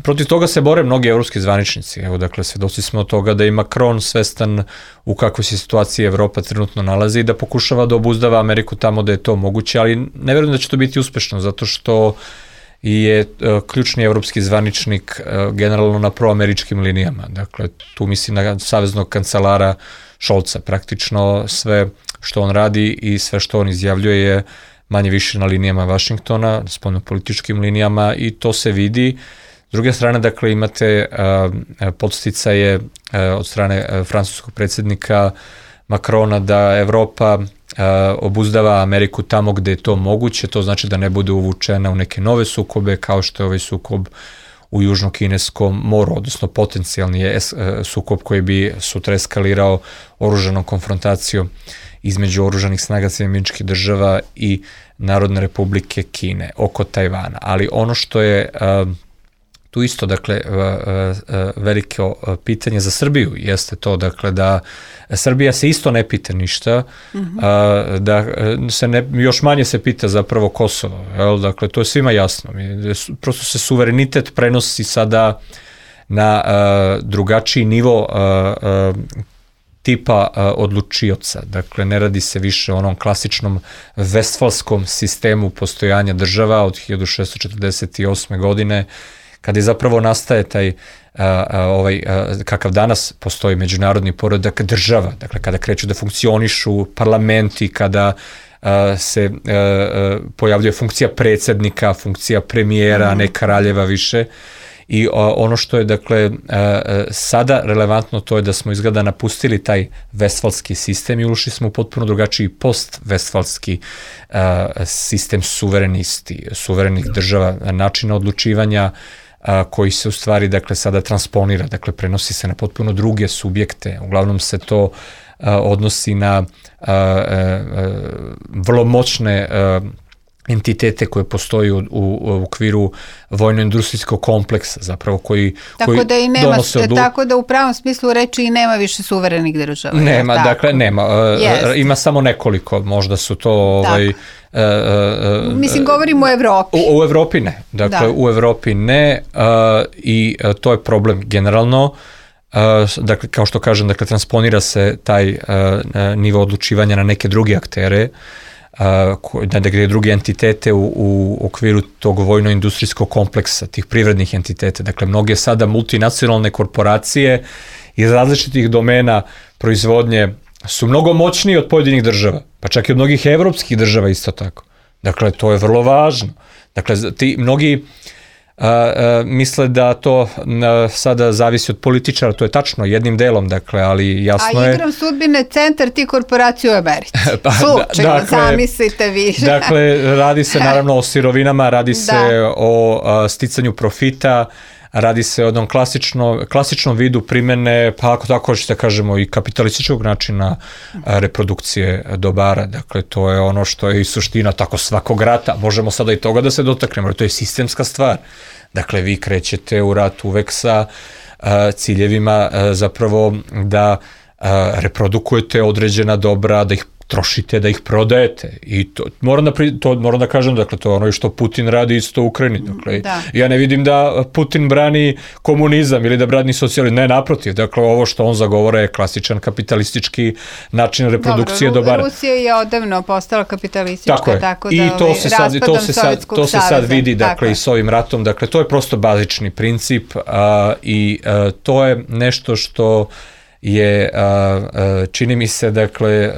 protiv toga se bore mnogi evropski zvaničnici. Evo, dakle, svedoci smo od toga da i Macron svestan u kakvoj se situaciji Evropa trenutno nalazi i da pokušava da obuzdava Ameriku tamo da je to moguće, ali ne verujem da će to biti uspešno, zato što je uh, ključni evropski zvaničnik uh, generalno na proameričkim linijama. Dakle, tu mislim na saveznog kancelara Šolca. Praktično sve što on radi i sve što on izjavljuje je manje više na linijama Vašingtona, spoljnopolitičkim linijama, i to se vidi. S druge strane, dakle, imate uh, podsticaje uh, od strane uh, francuskog predsjednika Macrona da Evropa uh, obuzdava Ameriku tamo gde je to moguće, to znači da ne bude uvučena u neke nove sukobe, kao što je ovaj sukob u Južno-Kineskom moru, odnosno potencijalni je sukob koji bi sutra eskalirao oružanom konfrontacijom između oružanih snaga Sjedinjenih Američkih Država i Narodne Republike Kine oko Tajvana. Ali ono što je uh, tu isto, dakle, veliko pitanje za Srbiju jeste to, dakle, da Srbija se isto ne pita ništa, mm-hmm. da se ne, još manje se pita zapravo Kosovo, jel? Dakle, to je svima jasno. Prosto se suverenitet prenosi sada na drugačiji nivo tipa odlučioca. Dakle, ne radi se više o onom klasičnom vestfalskom sistemu postojanja država od hiljadu šessto četrdeset osme godine, kada je zapravo nastaje taj a, a, ovaj, a, kakav danas postoji međunarodni poredak država, dakle kada kreću da funkcionišu parlamenti, kada a, se a, a, pojavljuje funkcija predsjednika, funkcija premijera, mm. ne kraljeva više. I a, ono što je, dakle, a, a, sada relevantno, to je da smo izgleda napustili taj vestfalski sistem i ušli smo u potpuno drugačiji post-vestfalski a, sistem suverenisti, suverenih država, načina odlučivanja a, koji se u stvari, dakle, sada transponira, dakle, prenosi se na potpuno druge subjekte. Uglavnom se to a, odnosi na a, a, a, vrlo moćne a, entitete koje postoji u, u, u okviru vojno-industrijskog kompleksa, zapravo koji, tako koji da i nema, donose odlu... Tako da u pravom smislu reči i nema više suverenih država. Nema, tako? dakle, nema. Yes. Ima samo nekoliko, možda su to... Ovaj, Uh, uh, Mislim, govorimo o Evropi. U, u Evropi ne. Dakle, da. u Evropi ne uh, i uh, to je problem generalno. Uh, dakle, kao što kažem, dakle, transponira se taj uh, nivo odlučivanja na neke druge aktere, uh, na neke druge entitete u, u okviru tog vojno-industrijskog kompleksa, tih privrednih entiteta. Dakle, mnoge sada multinacionalne korporacije iz različitih domena proizvodnje su mnogo moćniji od pojedinih država, pa čak i od mnogih evropskih država isto tako. Dakle, to je vrlo važno. Dakle, ti mnogi a, a, misle da to a, sada zavisi od političara, to je tačno jednim delom, dakle, ali jasno je... A igram sudbine centar ti korporacije u Americi. Pa, Slučajno, dakle, zamislite više. Dakle, radi se naravno o sirovinama, radi se da. o a, sticanju profita, radi se o jednom klasično, klasičnom vidu primjene, pa ako tako hoćete kažemo i kapitalističkog načina reprodukcije dobara. Dakle, to je ono što je i suština tako svakog rata. Možemo sada i toga da se dotaknemo, to je sistemska stvar. Dakle, vi krećete u rat uvek sa uh, ciljevima uh, zapravo da uh, reprodukujete određena dobra, da ih trošite, da ih prodajete. I to moram da, pri, to moram da kažem, dakle, to je ono što Putin radi isto u Ukrajini. Dakle, da. Ja ne vidim da Putin brani komunizam ili da brani socijalizam. Ne, naprotiv. Dakle, ovo što on zagovara je klasičan kapitalistički način reprodukcije Dobro, dobara. Rusija je odavno postala kapitalistička, tako, tako da I to se sad, to se sad, to se sad vidi, dakle, tako i s ovim ratom. Dakle, to je prosto bazični princip a, i a, to je nešto što je, čini mi se, dakle,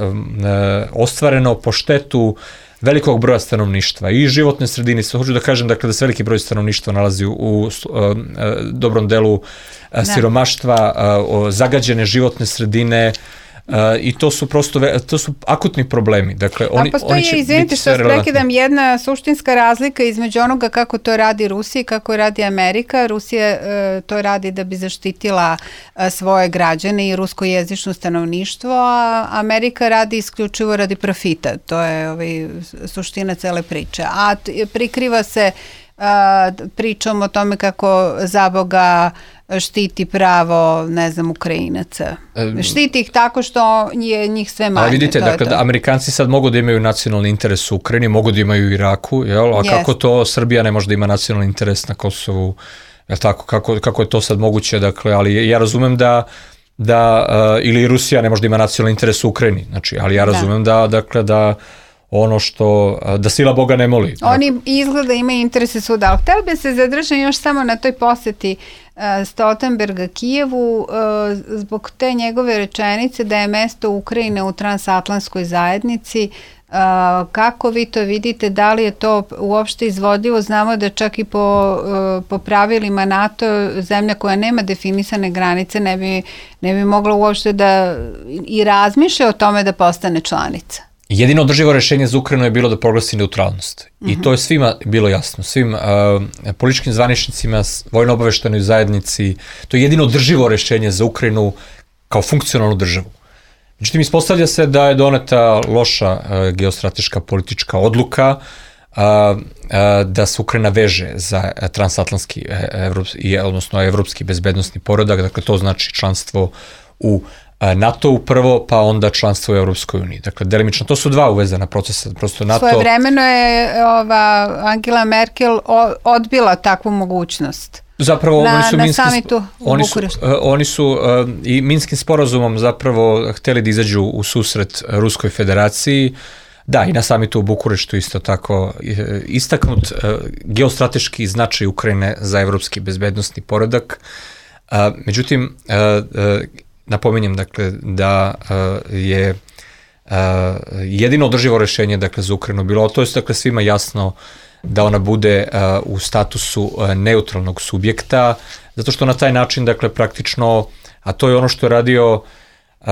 ostvareno po štetu velikog broja stanovništva i životne sredine. Hoću da kažem, dakle, da se veliki broj stanovništva nalazi u, u dobrom delu ne. siromaštva, zagađene životne sredine, Uh, i to su prosto, to su akutni problemi. Dakle, oni, A postoji, oni će izvinite što prekidam, jedna suštinska razlika između onoga kako to radi Rusija i kako radi Amerika. Rusija uh, to radi da bi zaštitila uh, svoje građane i ruskojezično stanovništvo, a Amerika radi isključivo radi profita. To je ovaj, suština cele priče. A t- prikriva se uh, pričom o tome kako zaboga štiti pravo, ne znam, Ukrajinaca. Štiti ih tako što je njih sve manje. A vidite, dakle, da Amerikanci sad mogu da imaju nacionalni interes u Ukrajini, mogu da imaju u Iraku, jel? A yes. kako to Srbija ne može da ima nacionalni interes na Kosovu, jel tako? Kako, kako je to sad moguće, dakle, ali ja razumem da da, uh, ili Rusija ne može da ima nacionalni interes u Ukrajini, znači, ali ja razumem da, da dakle, da ono što, da sila Boga ne moli. Oni izgleda imaju interese svuda, ali htjela bi se zadržati još samo na toj posjeti uh, Stoltenberga Kijevu, uh, zbog te njegove rečenice da je mesto Ukrajine u transatlantskoj zajednici. Uh, kako vi to vidite, da li je to uopšte izvodljivo? Znamo da čak i po, uh, po pravilima NATO zemlja koja nema definisane granice ne bi, ne bi mogla uopšte da i razmišlja o tome da postane članica. Jedino održivo rešenje za Ukrajinu je bilo da proglasi neutralnost. Uh-huh. I to je svima bilo jasno. Svim uh, političkim zvaničnicima, vojno-obaveštenoj zajednici, to je jedino održivo rešenje za Ukrajinu kao funkcionalnu državu. Međutim, ispostavlja se da je doneta loša uh, geostrateška politička odluka uh, a, a, da se Ukrajina veže za transatlantski, evropski, odnosno evropski bezbednosni poredak, dakle to znači članstvo u NATO-u prvo, pa onda članstvo u Evropskoj uniji. Dakle, delimično, to su dva uvezana procesa. Prosto NATO... Svojevremeno je ova Angela Merkel odbila takvu mogućnost. Zapravo, na, oni su na Minskim, samitu u oni su, Bukureštu. oni su uh, i Minskim sporazumom zapravo hteli da izađu u susret Ruskoj federaciji. Da, i na samitu u Bukureštu isto tako istaknut uh, geostrateški značaj Ukrajine za evropski bezbednosni poredak. Uh, međutim, uh, uh, napominjem dakle da uh, je uh, jedino održivo rešenje dakle za Ukrajinu bilo, to je dakle svima jasno da ona bude uh, u statusu uh, neutralnog subjekta, zato što na taj način dakle praktično, a to je ono što je radio uh,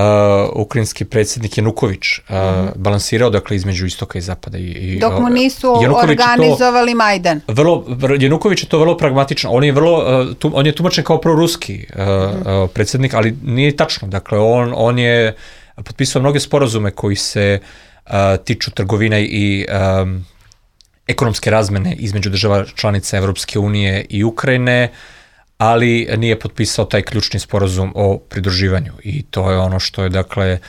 ukrajinski predsjednik Januković, uh, mm-hmm. balansirao dakle između istoka i zapada. I, i, Dok mu nisu Januković organizovali to, Majdan. Vrlo, Januković je to vrlo pragmatično, on je, vrlo, uh, tu, on je tumačen kao proruski uh, mm-hmm. uh, predsjednik, ali nije tačno, dakle on, on je potpisao mnoge sporazume koji se uh, tiču trgovine i um, ekonomske razmene između država članica Evropske unije i Ukrajine, ali nije potpisao taj ključni sporazum o pridruživanju i to je ono što je dakle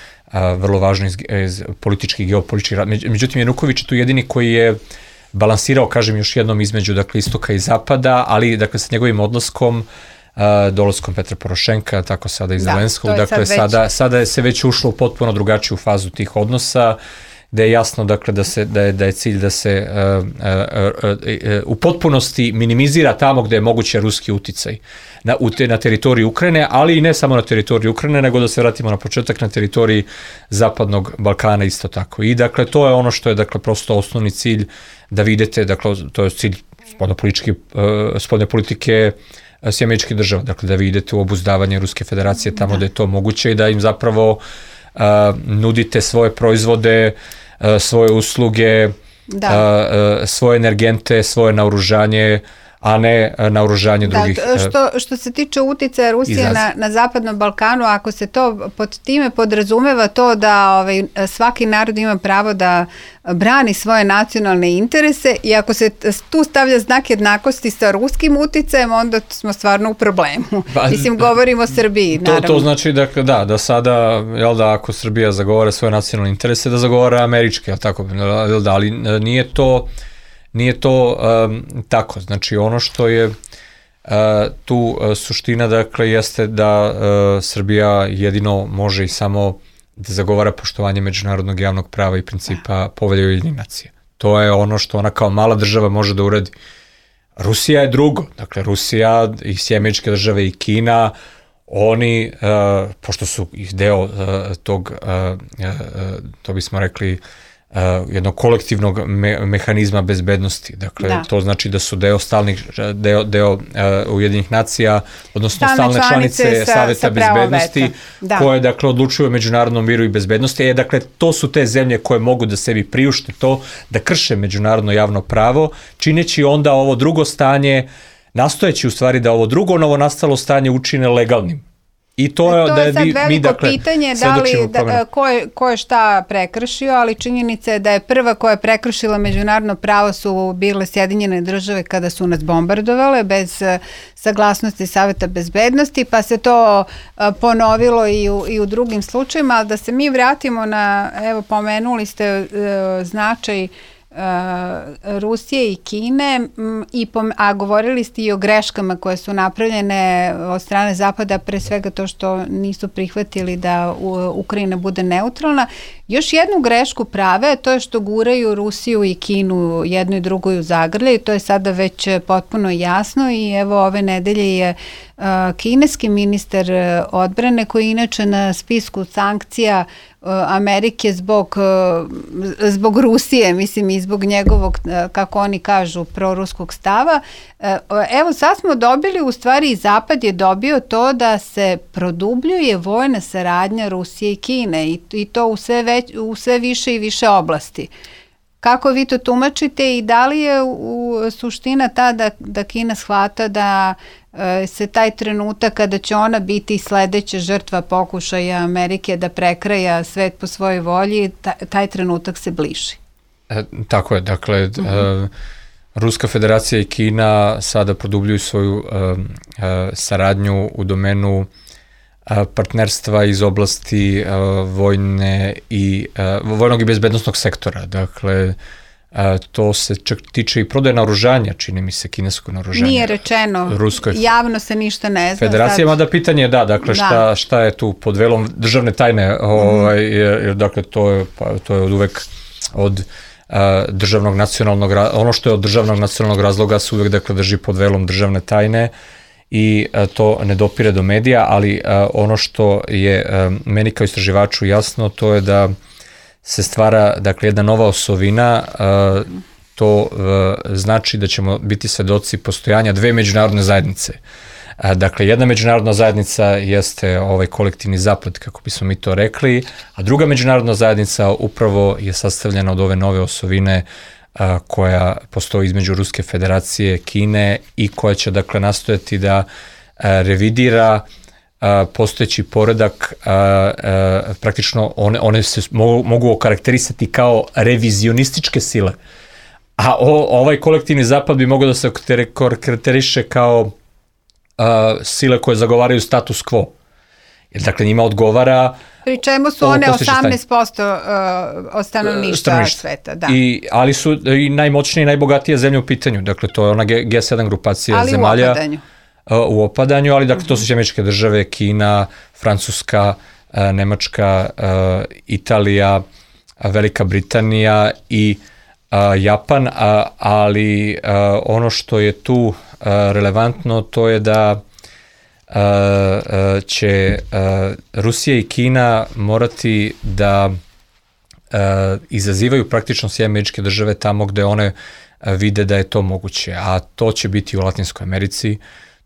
vrlo važno iz, iz političkih i geopolitičkih razmena. Međutim, Januković je tu jedini koji je balansirao, kažem još jednom, između dakle istoka i zapada, ali dakle sa njegovim odlaskom, dolaskom Petra Porošenka, tako sada i Zelenskog, dakle sad sada, već... sada je se već ušlo u potpuno drugačiju fazu tih odnosa, da je jasno dakle da se da je da je cilj da se uh, uh, uh, uh, u potpunosti minimizira tamo gde je moguće ruski uticaj na u te, na teritoriji Ukrajine, ali i ne samo na teritoriji Ukrajine, nego da se vratimo na početak na teritoriji Zapadnog Balkana isto tako. I dakle to je ono što je dakle prosto osnovni cilj, da vidite, dakle to je cilj spoljnopolitičke uh, spoljne politike Sjedinjenih Američkih Država, dakle da vi idete u obuzdavanje Ruske federacije tamo da. da je to moguće i da im zapravo Uh, nudite svoje proizvode, uh, svoje usluge, da. uh, uh, svoje energente, svoje naoružanje, a ne uh, naoružanje da, drugih. Što, što se tiče uticaja Rusije na, na Zapadnom Balkanu, ako se to pod time podrazumeva to da ovaj, svaki narod ima pravo da brani svoje nacionalne interese i ako se tu stavlja znak jednakosti sa ruskim uticajem, onda smo stvarno u problemu. Ba, Mislim, govorimo o Srbiji, naravno. To, to znači da, da, da sada, jel da, ako Srbija zagovara svoje nacionalne interese, da zagovara američke, jel tako, jel da, ali nije to, nije to um, tako. Znači, ono što je uh, tu uh, suština, dakle, jeste da uh, Srbija jedino može i samo da zagovara poštovanje međunarodnog javnog prava i principa Povelje Ujedinjenih nacija. To je ono što ona kao mala država može da uradi. Rusija je drugo. Dakle, Rusija i Sjedinjene Američke Države i Kina, oni, uh, pošto su ih deo uh, tog, uh, uh, to bismo rekli, Uh, jednog kolektivnog me, mehanizma bezbednosti. Dakle, da. To znači da su deo stalnih, deo, deo uh, Ujedinjenih nacija, odnosno stalne, stalne članice, članice sa, Saveta sa bezbednosti, da. koje, dakle, odlučuju o međunarodnom miru i bezbednosti. E, dakle, to su te zemlje koje mogu da sebi priušte to, da krše međunarodno javno pravo, čineći onda ovo drugo stanje, nastojeći u stvari da ovo drugo novo nastalo stanje učine legalnim. I to je, to da je sad mi, veliko mi, dakle, pitanje da li, da, ko, je, ko je šta prekršio, ali činjenica je da je prva koja je prekršila međunarodno pravo su bile Sjedinjene Države kada su nas bombardovale bez saglasnosti Saveta bezbednosti, pa se to a, ponovilo i u, i u drugim slučajima, ali da se mi vratimo na, evo pomenuli ste a, značaj Rusije i Kine, i pom- a govorili ste i o greškama koje su napravljene od strane Zapada, pre svega to što nisu prihvatili da Ukrajina bude neutralna. Još jednu grešku prave, to je što guraju Rusiju i Kinu jedno i drugo u zagrlje i to je sada već potpuno jasno i evo ove nedelje je uh, kineski ministar odbrane koji je inače na spisku sankcija Amerike zbog, zbog Rusije, mislim i zbog njegovog, kako oni kažu, proruskog stava. Evo sad smo dobili, u stvari i Zapad je dobio to da se produbljuje vojna saradnja Rusije i Kine i, i to u sve, već, u sve više i više oblasti. Kako vi to tumačite i da li je u suština ta da, da Kina shvata da e, se taj trenutak kada će ona biti sledeća žrtva pokušaja Amerike da prekraja svet po svojoj volji, ta, taj trenutak se bliži? E, tako je, dakle, uh-huh. e, Ruska federacija i Kina sada produbljuju svoju e, e, saradnju u domenu e, partnerstva iz oblasti e, vojne i, e, vojnog i bezbednostnog sektora. Dakle, e, to se čak tiče i prodaje naoružanja, čini mi se, kineskog naoružanja. Nije rečeno, Ruskoj javno se ništa ne zna. Federacija, sad... mada pitanje je da, dakle, da. Šta, šta je tu pod velom državne tajne, ovaj, jer, jer dakle, to je, pa, to je od uvek od državnog nacionalnog, ono što je od državnog nacionalnog razloga se uvek dakle drži pod velom državne tajne i to ne dopire do medija, ali ono što je meni kao istraživaču jasno, to je da se stvara dakle jedna nova osovina, to znači da ćemo biti svedoci postojanja dve međunarodne zajednice. Dakle, jedna međunarodna zajednica jeste ovaj kolektivni zapad, kako bismo mi to rekli, a druga međunarodna zajednica upravo je sastavljena od ove nove osovine a, koja postoji između Ruske federacije, Kine i koja će dakle nastojati da a, revidira a, postojeći poredak, a, a, praktično one, one se mogu, mogu okarakterisati kao revizionističke sile, a o, ovaj kolektivni zapad bi mogao da se okarakteriše kao Uh, sile koje zagovaraju status quo. Jer dakle njima odgovara... Pri čemu su one osamnaest posto uh, od stanovništva sveta. Da. I, ali su i najmoćnije i najbogatije zemlje u pitanju. Dakle, to je ona G sedam grupacija ali zemalja. Ali u opadanju. Uh, u opadanju, ali dakle to su Američke države, Kina, Francuska, uh, Nemačka, uh, Italija, uh, Velika Britanija i uh, Japan, uh, ali uh, ono što je tu relevantno, to je da uh, uh, će uh, Rusija i Kina morati da uh, izazivaju praktično sve američke države tamo gde one uh, vide da je to moguće, a to će biti u Latinskoj Americi,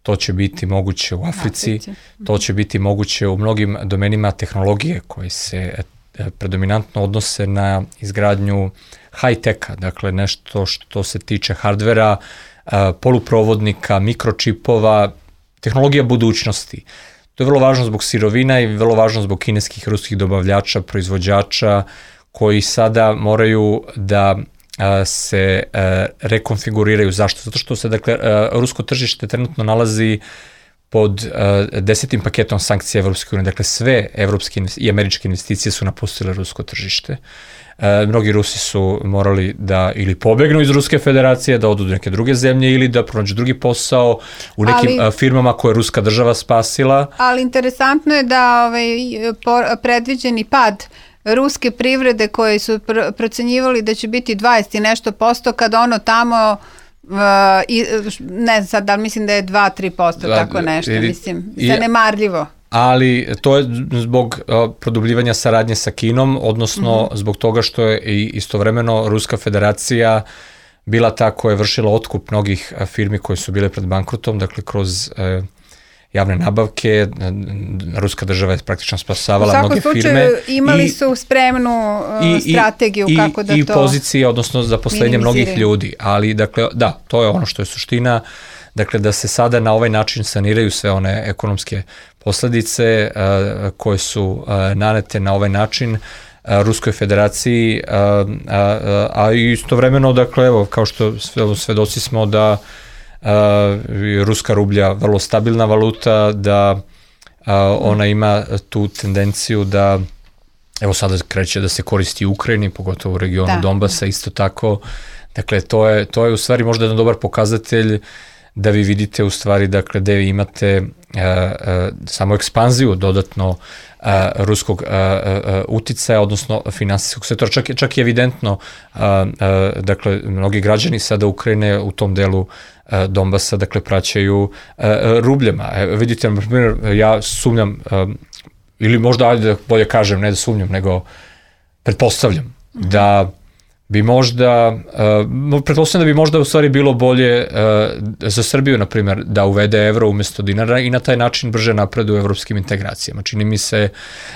to će biti moguće u Africi, to će biti moguće u mnogim domenima tehnologije koji se uh, predominantno odnose na izgradnju high-teka, dakle nešto što se tiče hardvera, poluprovodnika, mikročipova, tehnologija budućnosti. To je vrlo važno zbog sirovina i vrlo važno zbog kineskih, ruskih dobavljača, proizvođača koji sada moraju da se rekonfiguriraju. Zašto? Zato što se, dakle, rusko tržište trenutno nalazi pod desetim paketom sankcija Evropske unije. Dakle, sve evropske i američke investicije su napustile rusko tržište. E, mnogi Rusi su morali da ili pobegnu iz Ruske federacije, da odu do neke druge zemlje ili da pronađu drugi posao u nekim ali, firmama koje je ruska država spasila. Ali interesantno je da ovaj, predviđeni pad ruske privrede koje su pr- procenjivali da će biti dvadeset i nešto posto, kad ono tamo Uh, i, ne znam sad, da li mislim da je dva do tri posto, da, tako nešto, ili, mislim, zanemarljivo. Ali to je zbog uh, produbljivanja saradnje sa Kinom, odnosno mm-hmm. zbog toga što je i istovremeno Ruska federacija bila ta koja je vršila otkup mnogih uh, firmi koje su bile pred bankrotom, dakle kroz uh, javne nabavke, ruska država je praktično spasavala mnoge firme. U svakom slučaju imali i, su spremnu uh, i, strategiju i, kako da i to... I pozicije, odnosno zaposlenje mnogih ljudi, ali dakle, da, to je ono što je suština, dakle da se sada na ovaj način saniraju sve one ekonomske posledice uh, koje su uh, nanete na ovaj način uh, Ruskoj federaciji, uh, uh, uh, a istovremeno, dakle, evo, kao što svedoci smo da Uh, ruska rublja vrlo stabilna valuta, da uh, ona ima tu tendenciju da, evo sada kreće da se koristi u Ukrajini, pogotovo u regionu da. Donbasa, isto tako. Dakle, to je, to je u stvari možda jedan dobar pokazatelj da vi vidite u stvari, dakle, da vi imate uh, uh, samo ekspanziju dodatno uh, ruskog uh, uh, uticaja, odnosno finansijskog sektora. Čak, čak i evidentno, uh, uh, dakle, mnogi građani sada Ukrajine u tom delu Donbasa, dakle, praćaju uh, rubljama. E, vidite, na primjer, ja sumnjam, um, ili možda, ajde da bolje kažem, ne da sumnjam, nego pretpostavljam mm-hmm. da bi možda, uh, pretpostavljam da bi možda u stvari bilo bolje uh, za Srbiju, na primjer, da uvede evro umjesto dinara i na taj način brže napreduje u evropskim integracijama. Čini mi se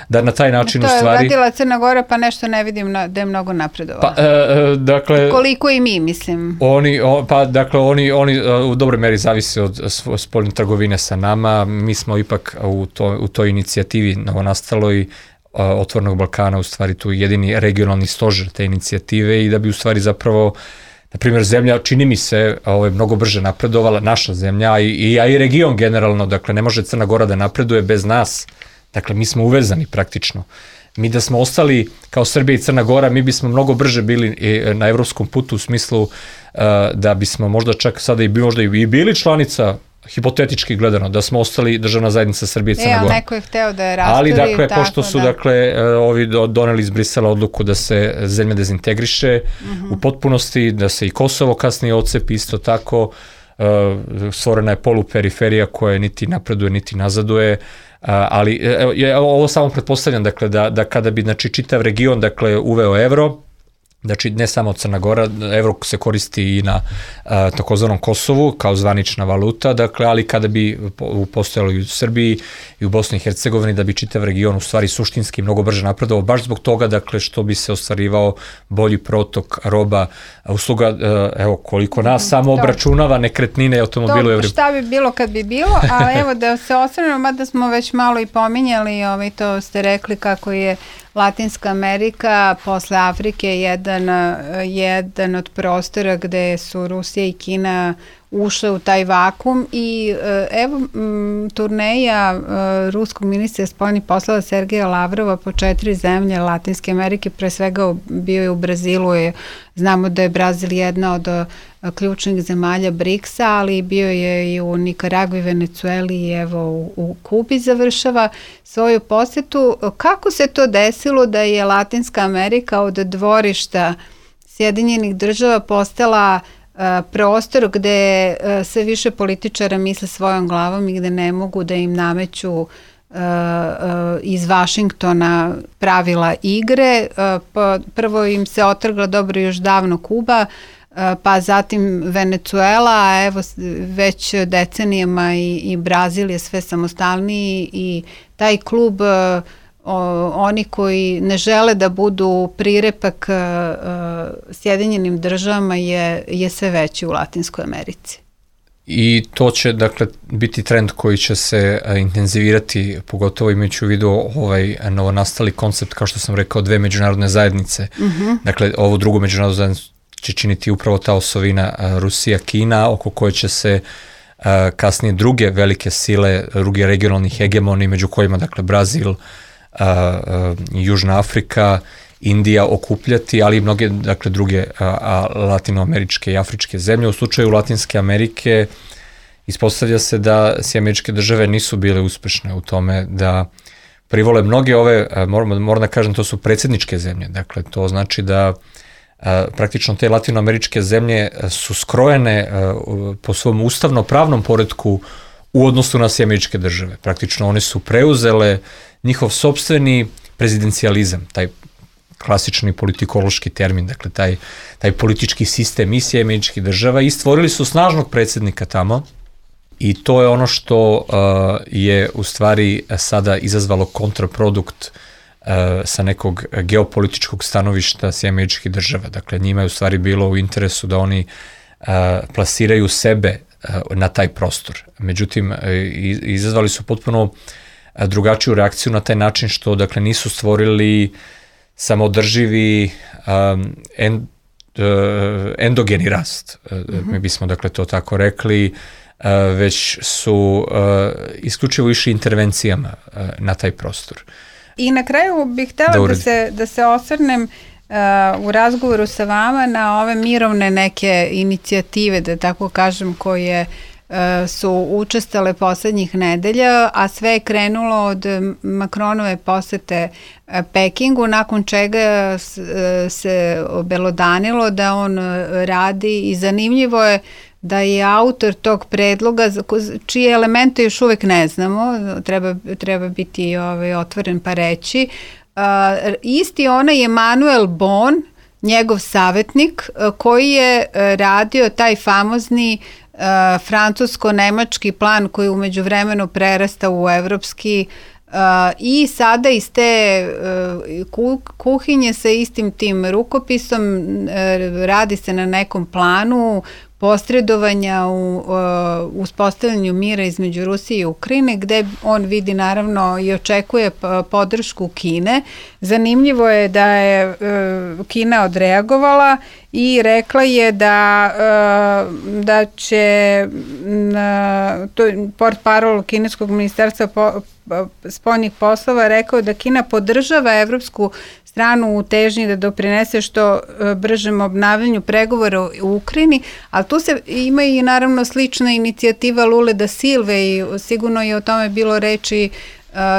da na taj način u stvari... To je uradila Crna Gora, pa nešto ne vidim na, da je mnogo napredovala. Pa, uh, dakle... Koliko i mi, mislim. Oni, o, pa, dakle, oni, oni uh, u dobroj meri zavise od spoljne trgovine sa nama. Mi smo ipak u, to, u toj inicijativi novonastaloj Otvorenog Balkana u stvari tu jedini regionalni stožer te inicijative i da bi u stvari zapravo, na primjer, zemlja, čini mi se, ovaj, mnogo brže napredovala, naša zemlja, i, i, a i region generalno, dakle, ne može Crna Gora da napreduje bez nas, dakle, mi smo uvezani praktično. Mi da smo ostali kao Srbija i Crna Gora, mi bismo mnogo brže bili na evropskom putu u smislu uh, da bismo možda čak sada i, možda i bili članica, hipotetički gledano, da smo ostali državna zajednica Srbije i Crna Gora. E, ali neko je hteo da je rasturi. Ali, dakle, tako, pošto su, da. dakle, ovi doneli iz Brisela odluku da se zemlja dezintegriše uh-huh. u potpunosti, da se i Kosovo kasnije odcepi isto tako, uh, stvorena je poluperiferija koja niti napreduje, niti nazaduje, Uh, ali evo, ovo samo pretpostavljam, dakle, da, da kada bi, znači, čitav region, dakle, uveo evro, znači ne samo Crna Gora, evro se koristi i na uh, takozvanom Kosovu kao zvanična valuta, dakle, ali kada bi postojalo i u Srbiji i u Bosni i Hercegovini, da bi čitav region u stvari suštinski mnogo brže napredovao, baš zbog toga, dakle, što bi se ostvarivao bolji protok roba, usluga, uh, evo, koliko nas samo obračunava nekretnine i automobile u Evropi. Šta bi bilo kad bi bilo, a evo da se osvrnemo, mada smo već malo i pominjali, ovaj, to ste rekli kako je Latinska Amerika posle Afrike jedan, jedan od prostora gde su Rusija i Kina ušle u taj vakum i evo m, turneja e, ruskog ministra spoljnih poslova Sergeja Lavrova po četiri zemlje Latinske Amerike, pre svega bio je u Brazilu, je, znamo da je Brazil jedna od a, ključnih zemalja briksa, ali bio je i u Nikaragvi, Venecueli i evo u, u Kubi završava svoju posetu. Kako se to desilo da je Latinska Amerika od dvorišta Sjedinjenih država postala prostor gde sve više političara misle svojom glavom i gde ne mogu da im nameću iz Vašingtona pravila igre. Prvo im se otrgla dobro još davno Kuba, pa zatim Venecuela, a evo već decenijama i, i Brazil je sve samostalniji i taj klub, O, oni koji ne žele da budu prirepak uh, Sjedinjenim državama je, je sve veći u Latinskoj Americi. I to će, dakle, biti trend koji će se a, intenzivirati, pogotovo imajući u vidu ovaj novonastali koncept, kao što sam rekao, dve međunarodne zajednice. Uh-huh. Dakle, ovo drugo međunarodno zajednicu će činiti upravo ta osovina a, Rusija, Kina, oko koje će se a, kasnije druge velike sile, drugi regionalni hegemoni, među kojima, dakle, Brazil, Uh, uh, Južna Afrika, Indija okupljati, ali i mnoge, dakle, druge uh, latinoameričke i afričke zemlje. U slučaju Latinske Amerike ispostavlja se da si američke države nisu bile uspešne u tome da privole mnoge ove, uh, moram, moram da kažem, to su predsjedničke zemlje. Dakle, to znači da uh, praktično te latinoameričke zemlje su skrojene uh, po svom ustavno-pravnom poretku u odnosu na sve američke države. Praktično one su preuzele njihov sopstveni prezidencijalizam, taj klasični politikološki termin, dakle taj, taj politički sistem i sve američkih država, i stvorili su snažnog predsjednika tamo, i to je ono što uh, je u stvari sada izazvalo kontraprodukt uh, sa nekog geopolitičkog stanovišta sve američkih država. Dakle, njima je u stvari bilo u interesu da oni uh, plasiraju sebe na taj prostor. Međutim, izazvali su potpuno drugačiju reakciju na taj način što, dakle, nisu stvorili samodrživi um, end, uh, endogeni rast. Mm-hmm. Mi bismo, dakle, to tako rekli, uh, već su uh, isključivo išli intervencijama uh, na taj prostor. I na kraju bih htjela da, da, se, da se osvrnem Uh, u razgovoru sa vama na ove mirovne neke inicijative, da tako kažem, koje uh, su učestale poslednjih nedelja, a sve je krenulo od Macronove posete uh, Pekingu, nakon čega s, uh, se obelodanilo da on radi, i zanimljivo je da je autor tog predloga, čije elemente još uvek ne znamo, treba, treba biti ovaj, otvoren pa reći, Uh, isti onaj Emanuel Bon, njegov savjetnik, uh, koji je uh, radio taj famozni uh, francusko-nemački plan koji umeđu vremenu prerasta u evropski, uh, i sada iz te uh, kuhinje sa istim tim rukopisom uh, radi se na nekom planu posredovanja u uh, uspostavljanju mira između Rusije i Ukrajine, gde on vidi naravno i očekuje podršku Kine. Zanimljivo je da je uh, Kina odreagovala i rekla je da, uh, da će uh, to portparol kineskog ministarstva po, spoljnih poslova rekao da Kina podržava evropsku stranu u težnji da doprinese što bržem obnavljanju pregovora u Ukrajini, ali tu se ima i naravno slična inicijativa Lule da Silve i sigurno je o tome bilo reči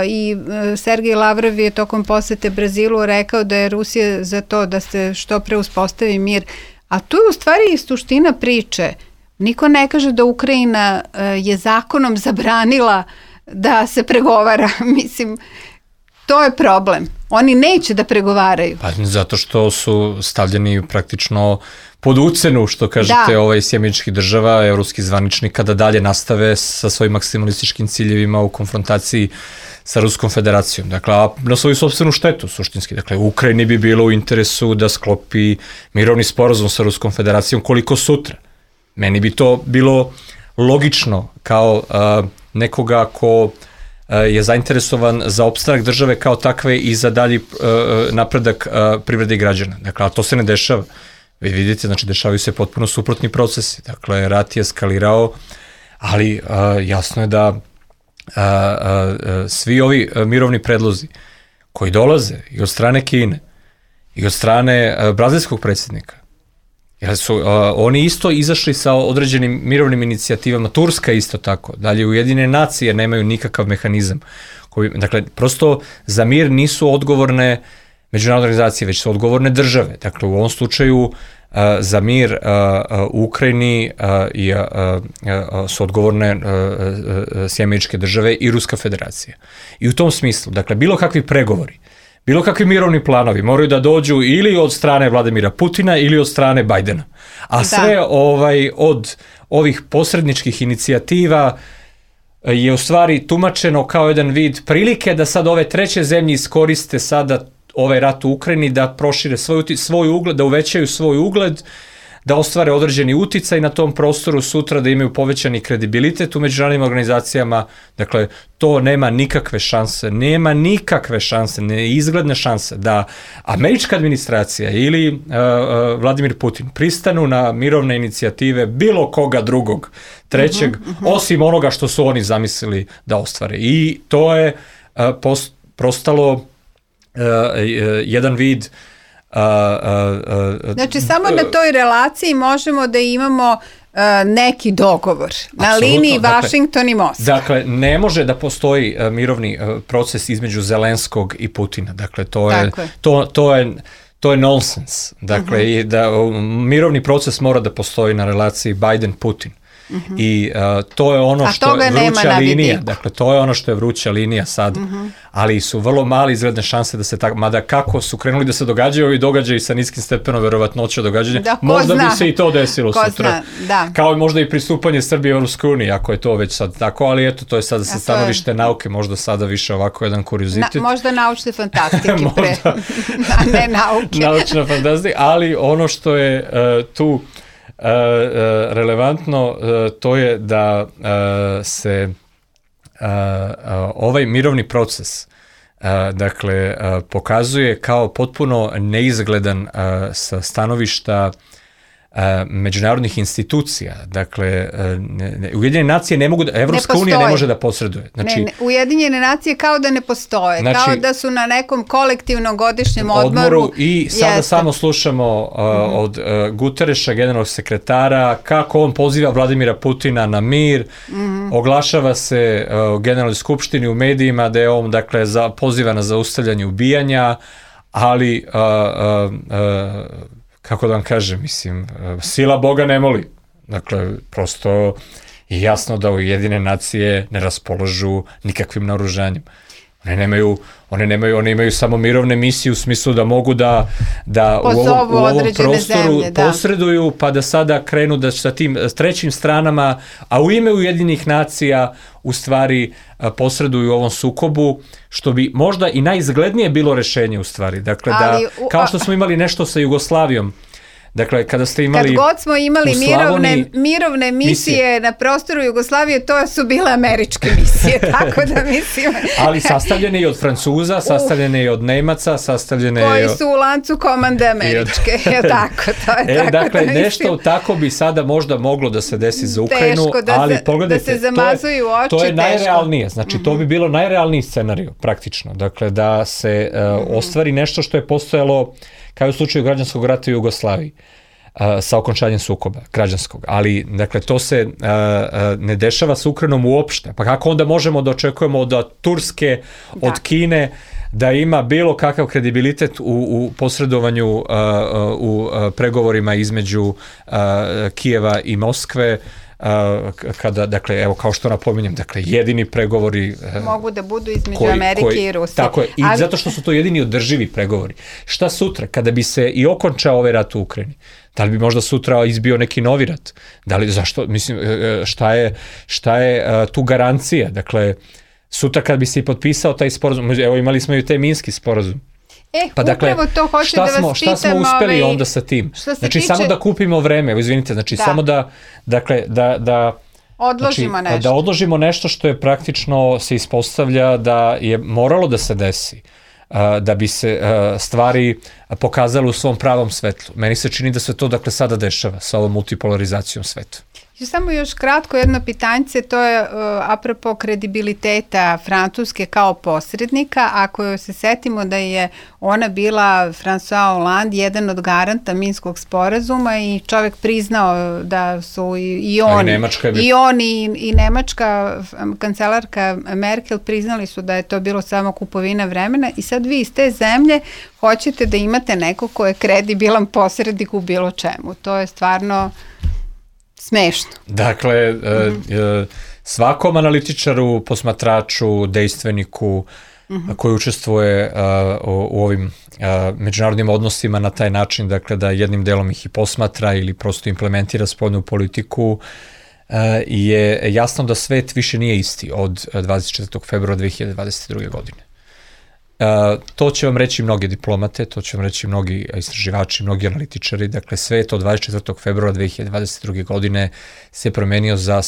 i Sergej Lavrov je tokom posete Brazilu rekao da je Rusija za to da se što pre uspostavi mir, a tu je u stvari i suština priče. Niko ne kaže da Ukrajina je zakonom zabranila da se pregovara, mislim, to je problem. Oni neće da pregovaraju. Pa zato što su stavljeni praktično pod ucenu, što kažete, da. ovaj Sjedinjenih država, evropski zvaničnika, da dalje nastave sa svojim maksimalističkim ciljevima u konfrontaciji sa Ruskom federacijom. Dakle, a na svoju sopstvenu štetu, suštinski. Dakle, u Ukrajini bi bilo u interesu da sklopi mirovni sporazum sa Ruskom federacijom koliko sutra. Meni bi to bilo logično kao a, nekoga ko je zainteresovan za opstanak države kao takve i za dalji uh, napredak uh, privrede i građana. Dakle, a to se ne dešava. Vi vidite, znači, dešavaju se potpuno suprotni procesi. Dakle, rat je eskalirao, ali uh, jasno je da uh, uh, svi ovi uh, mirovni predlozi koji dolaze i od strane Kine i od strane uh, brazilskog predsjednika, jer su uh, oni isto izašli sa određenim mirovnim inicijativama, Turska isto tako, dalje Ujedinjene nacije nemaju nikakav mehanizam. Koji, dakle, prosto za mir nisu odgovorne međunarodne organizacije, već su odgovorne države. Dakle, u ovom slučaju uh, za mir uh, uh, u Ukrajini uh, i, uh, uh, su odgovorne uh, uh, Sjedinjene države i Ruska federacija. I u tom smislu, dakle, bilo kakvi pregovori, bilo kakvi mirovni planovi moraju da dođu ili od strane Vladimira Putina ili od strane Bajdena. A sve da. ovaj, od ovih posredničkih inicijativa je u stvari tumačeno kao jedan vid prilike da sad ove treće zemlje iskoriste sada ovaj rat u Ukrajini da prošire svoj, svoj ugled, da uvećaju svoj ugled, da ostvare određeni uticaj na tom prostoru sutra, da imaju povećani kredibilitet u međunarodnim organizacijama. Dakle, to nema nikakve šanse, nema nikakve šanse, neizgledne šanse da američka administracija ili uh, uh, Vladimir Putin pristanu na mirovne inicijative bilo koga drugog, trećeg, uh-huh, uh-huh. osim onoga što su oni zamislili da ostvare. I to je uh, post, prostalo uh, uh, jedan vid Uh, uh, uh, znači, samo na toj relaciji možemo da imamo uh, neki dogovor na liniji Washington dakle, i Moskva. Dakle, ne može da postoji uh, mirovni uh, proces između Zelenskog i Putina. Dakle, to je, je. To, to je to je nonsens. Dakle, uh-huh. i da uh, mirovni proces mora da postoji na relaciji Biden-Putin. Uh-huh. I uh, to je ono A što je vruća linija. Dakle, to je ono što je vruća linija sad. Uh-huh. Ali su vrlo mali izgledne šanse da se tako, mada kako su krenuli da se događaju ovi događaji sa niskim stepenom verovatnoće događanja, da, možda zna. bi se i to desilo ko sutra. Da. Kao i možda i pristupanje Srbije u Europskoj uniji, ako je to već sad tako, ali eto, to je sada sa stanovište nauke, možda sada više ovako jedan kuriozitet. Na, možda naučne fantastike pre. A ne nauke. Naučna fantastika, ali ono što je uh, tu Uh, uh, relevantno uh, to je da uh, se uh, uh, ovaj mirovni proces uh, dakle uh, pokazuje kao potpuno neizgledan uh, sa stanovišta uh, međunarodnih institucija. Dakle, uh, Ujedinjene nacije ne mogu da, Evropska ne unija ne može da posreduje. Znači, ne, ne, Ujedinjene nacije kao da ne postoje, znači, kao da su na nekom kolektivnom godišnjem odmoru. odmoru I sada jeste. samo slušamo uh, mm-hmm. od uh, Gutereša, generalnog sekretara, kako on poziva Vladimira Putina na mir, mm-hmm. oglašava se uh, u generalnoj skupštini u medijima da je on, dakle, za, poziva na zaustavljanje ubijanja, ali uh, uh, uh, kako da vam kažem, mislim, sila Boga ne moli. Dakle, prosto je jasno da Ujedinjene nacije ne raspolažu nikakvim naoružanjem. One nemaju, one nemaju, one imaju samo mirovne misije u smislu da mogu da, da u ovom, u ovom prostoru zemlje, da. posreduju, pa da sada krenu da sa tim trećim stranama, a u ime Ujedinjenih nacija u stvari posreduju u ovom sukobu, što bi možda i najizglednije bilo rešenje u stvari. Dakle, da, kao što smo imali nešto sa Jugoslavijom, Dakle, kada ste imali... Kad god smo imali Slavoniji, mirovne, mirovne misije, misije na prostoru Jugoslavije, to su bile američke misije, tako da mislim... Ali sastavljene i od Francuza, sastavljene i od Nemaca, sastavljene koji i od... su u lancu komande američke, je tako, to je e, tako dakle, da mislim... nešto tako bi sada možda moglo da se desi za Ukrajinu, Teško da ali se, pogledajte, da se zamazuju to je, oči, to je teško. najrealnije, znači mm-hmm. to bi bilo najrealniji scenarij, praktično, dakle, da se uh, mm-hmm. ostvari nešto što je postojalo, kao u slučaju građanskog rata u Jugoslaviji, uh, sa okončanjem sukoba građanskog, ali dakle to se uh, uh, ne dešava sa Ukrajinom uopšte, pa kako onda možemo da očekujemo od Turske, da. od Kine, da ima bilo kakav kredibilitet u, u posredovanju uh, uh, u uh, pregovorima između uh, Kijeva i Moskve, uh, kada, dakle, evo, kao što napominjem, dakle, jedini pregovori uh, mogu da budu između koji, Amerike koji, i Rusije. Tako je, i ali... zato što su to jedini održivi pregovori. Šta sutra, kada bi se i okončao ovaj rat u Ukrajini? Da li bi možda sutra izbio neki novi rat? Da li, zašto, mislim, šta je, šta je uh, tu garancija? Dakle, sutra kad bi se i potpisao taj sporazum, evo imali smo i taj Minski sporazum. E, pa dakle, upravo to hoću šta da vas smo, pitam. šta smo uspeli ovaj, onda sa tim? Znači, tiče... samo da kupimo vreme, evo izvinite, znači, da. samo da, dakle, da, da odložimo znači, nešto. Da odložimo nešto što je praktično se ispostavlja da je moralo da se desi, da bi se stvari pokazale u svom pravom svetlu. Meni se čini da se to, dakle, sada dešava sa ovom multipolarizacijom sveta. Samo još kratko jedno pitanjce, to je uh, apropo kredibiliteta Francuske kao posrednika. Ako se setimo da je ona bila, François Hollande, jedan od garanta Minskog sporazuma i čovjek priznao da su i, i on, bi... i, on i, i nemačka kancelarka Merkel priznali su da je to bilo samo kupovina vremena i sad vi iz te zemlje hoćete da imate neko ko je kredibilan posrednik u bilo čemu. To je stvarno... smešno. Dakle, mm-hmm. svakom analitičaru, posmatraču, dejstveniku mm-hmm. koji učestvuje u, u ovim međunarodnim odnosima na taj način, dakle da jednim delom ih i posmatra ili prosto implementira spoljnu politiku, je jasno da svet više nije isti od dvadeset četvrtog februara dve hiljade dvadeset druge. godine. Uh, to će vam reći mnogi diplomate, to će vam reći mnogi istraživači, mnogi analitičari, dakle svet od dvadeset četvrtog februara dve hiljade dvadeset druge. godine se promenio za,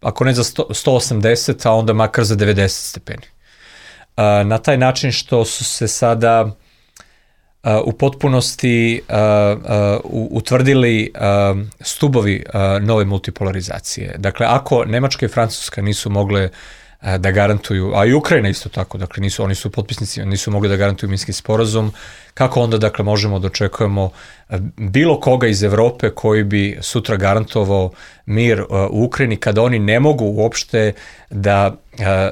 ako ne za sto, sto osamdeset, a onda makar za devedeset stepeni. Uh, na taj način što su se sada uh, u potpunosti uh, uh, utvrdili uh, stubovi uh, nove multipolarizacije. Dakle, ako Nemačka i Francuska nisu mogle da garantuju, a i Ukrajina isto tako, dakle nisu, oni su potpisnici, nisu mogli da garantuju Minski sporazum, kako onda dakle možemo da očekujemo bilo koga iz Evrope koji bi sutra garantovao mir u Ukrajini kada oni ne mogu uopšte da a, a,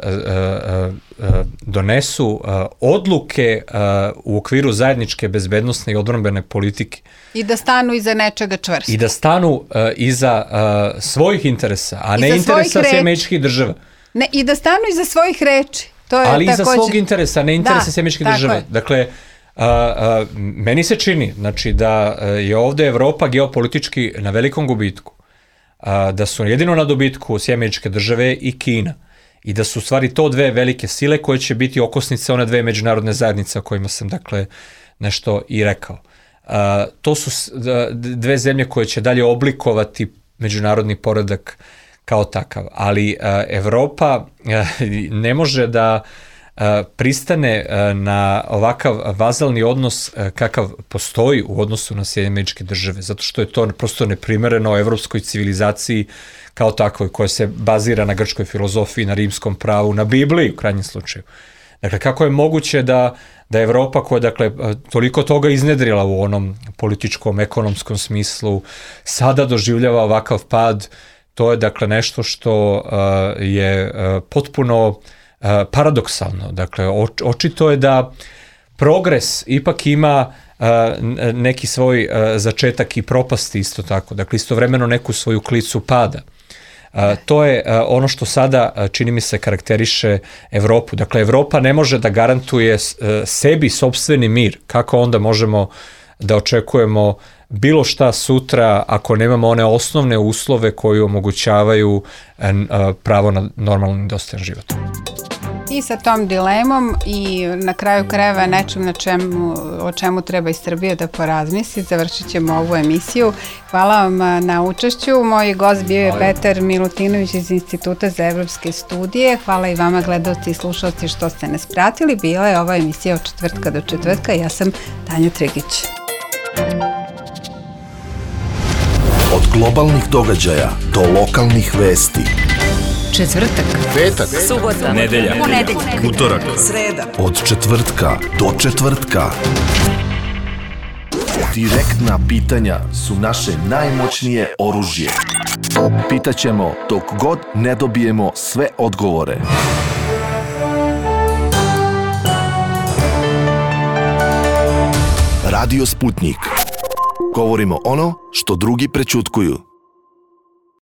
a, donesu a, odluke a, u okviru zajedničke bezbednosne i odbrambene politike. I da stanu iza nečega čvrsto. I da stanu a, iza a, svojih interesa, a ne interesa Sjedinjenih Američkih Država. Ne, i da stanu iza svojih reči. To je ali takođe... iza svog interesa, ne interesa Sjedinjenih Američkih Država. Je. Dakle, a, a, meni se čini znači, da je ovde Evropa geopolitički na velikom gubitku, a, da su jedino na dobitku Sjedinjene Američke Države i Kina i da su u stvari to dve velike sile koje će biti okosnice one dve međunarodne zajednice o kojima sam dakle nešto i rekao. A, to su dve zemlje koje će dalje oblikovati međunarodni poredak kao takav, ali uh, Evropa uh, ne može da uh, pristane uh, na ovakav vazalni odnos uh, kakav postoji u odnosu na Sjedinjene Američke Države, zato što je to prosto neprimereno evropskoj civilizaciji kao takvoj, koja se bazira na grčkoj filozofiji, na rimskom pravu, na Bibliji u krajnjem slučaju. Dakle, kako je moguće da, da Evropa koja dakle, toliko toga iznedrila u onom političkom, ekonomskom smislu, sada doživljava ovakav pad. To je dakle nešto što uh, je uh, potpuno uh, paradoksalno. Dakle, oč, očito je da progres ipak ima uh, neki svoj uh, začetak i propasti isto tako. Dakle, istovremeno neku svoju klicu pada. Uh, to je uh, ono što sada, uh, čini mi se, karakteriše Evropu. Dakle, Evropa ne može da garantuje uh, sebi sopstveni mir. Kako onda možemo da očekujemo bilo šta sutra ako nemamo one osnovne uslove koji omogućavaju pravo na normalan i dostojan život. I sa tom dilemom i na kraju krajeva nečem na čemu, o čemu treba i Srbija da porazmisli, završit ćemo ovu emisiju. Hvala vam na učešću. Moj gost bio je Petar Milutinović iz Instituta za evropske studije. Hvala i vama, gledalci i slušalci, što ste nas pratili. Bila je ova emisija od četvrtka do četvrtka. Ja sam Tanja Trigić. Od globalnih događaja do lokalnih vesti. Četvrtak, Petak, subota, nedelja, ponedeljak, utorak, sreda. Od četvrtka do četvrtka. Direktna pitanja su naše najmoćnije oružje. Pitaćemo dok god ne dobijemo sve odgovore. Radio Sputnik. Govorimo ono što drugi prećutkuju.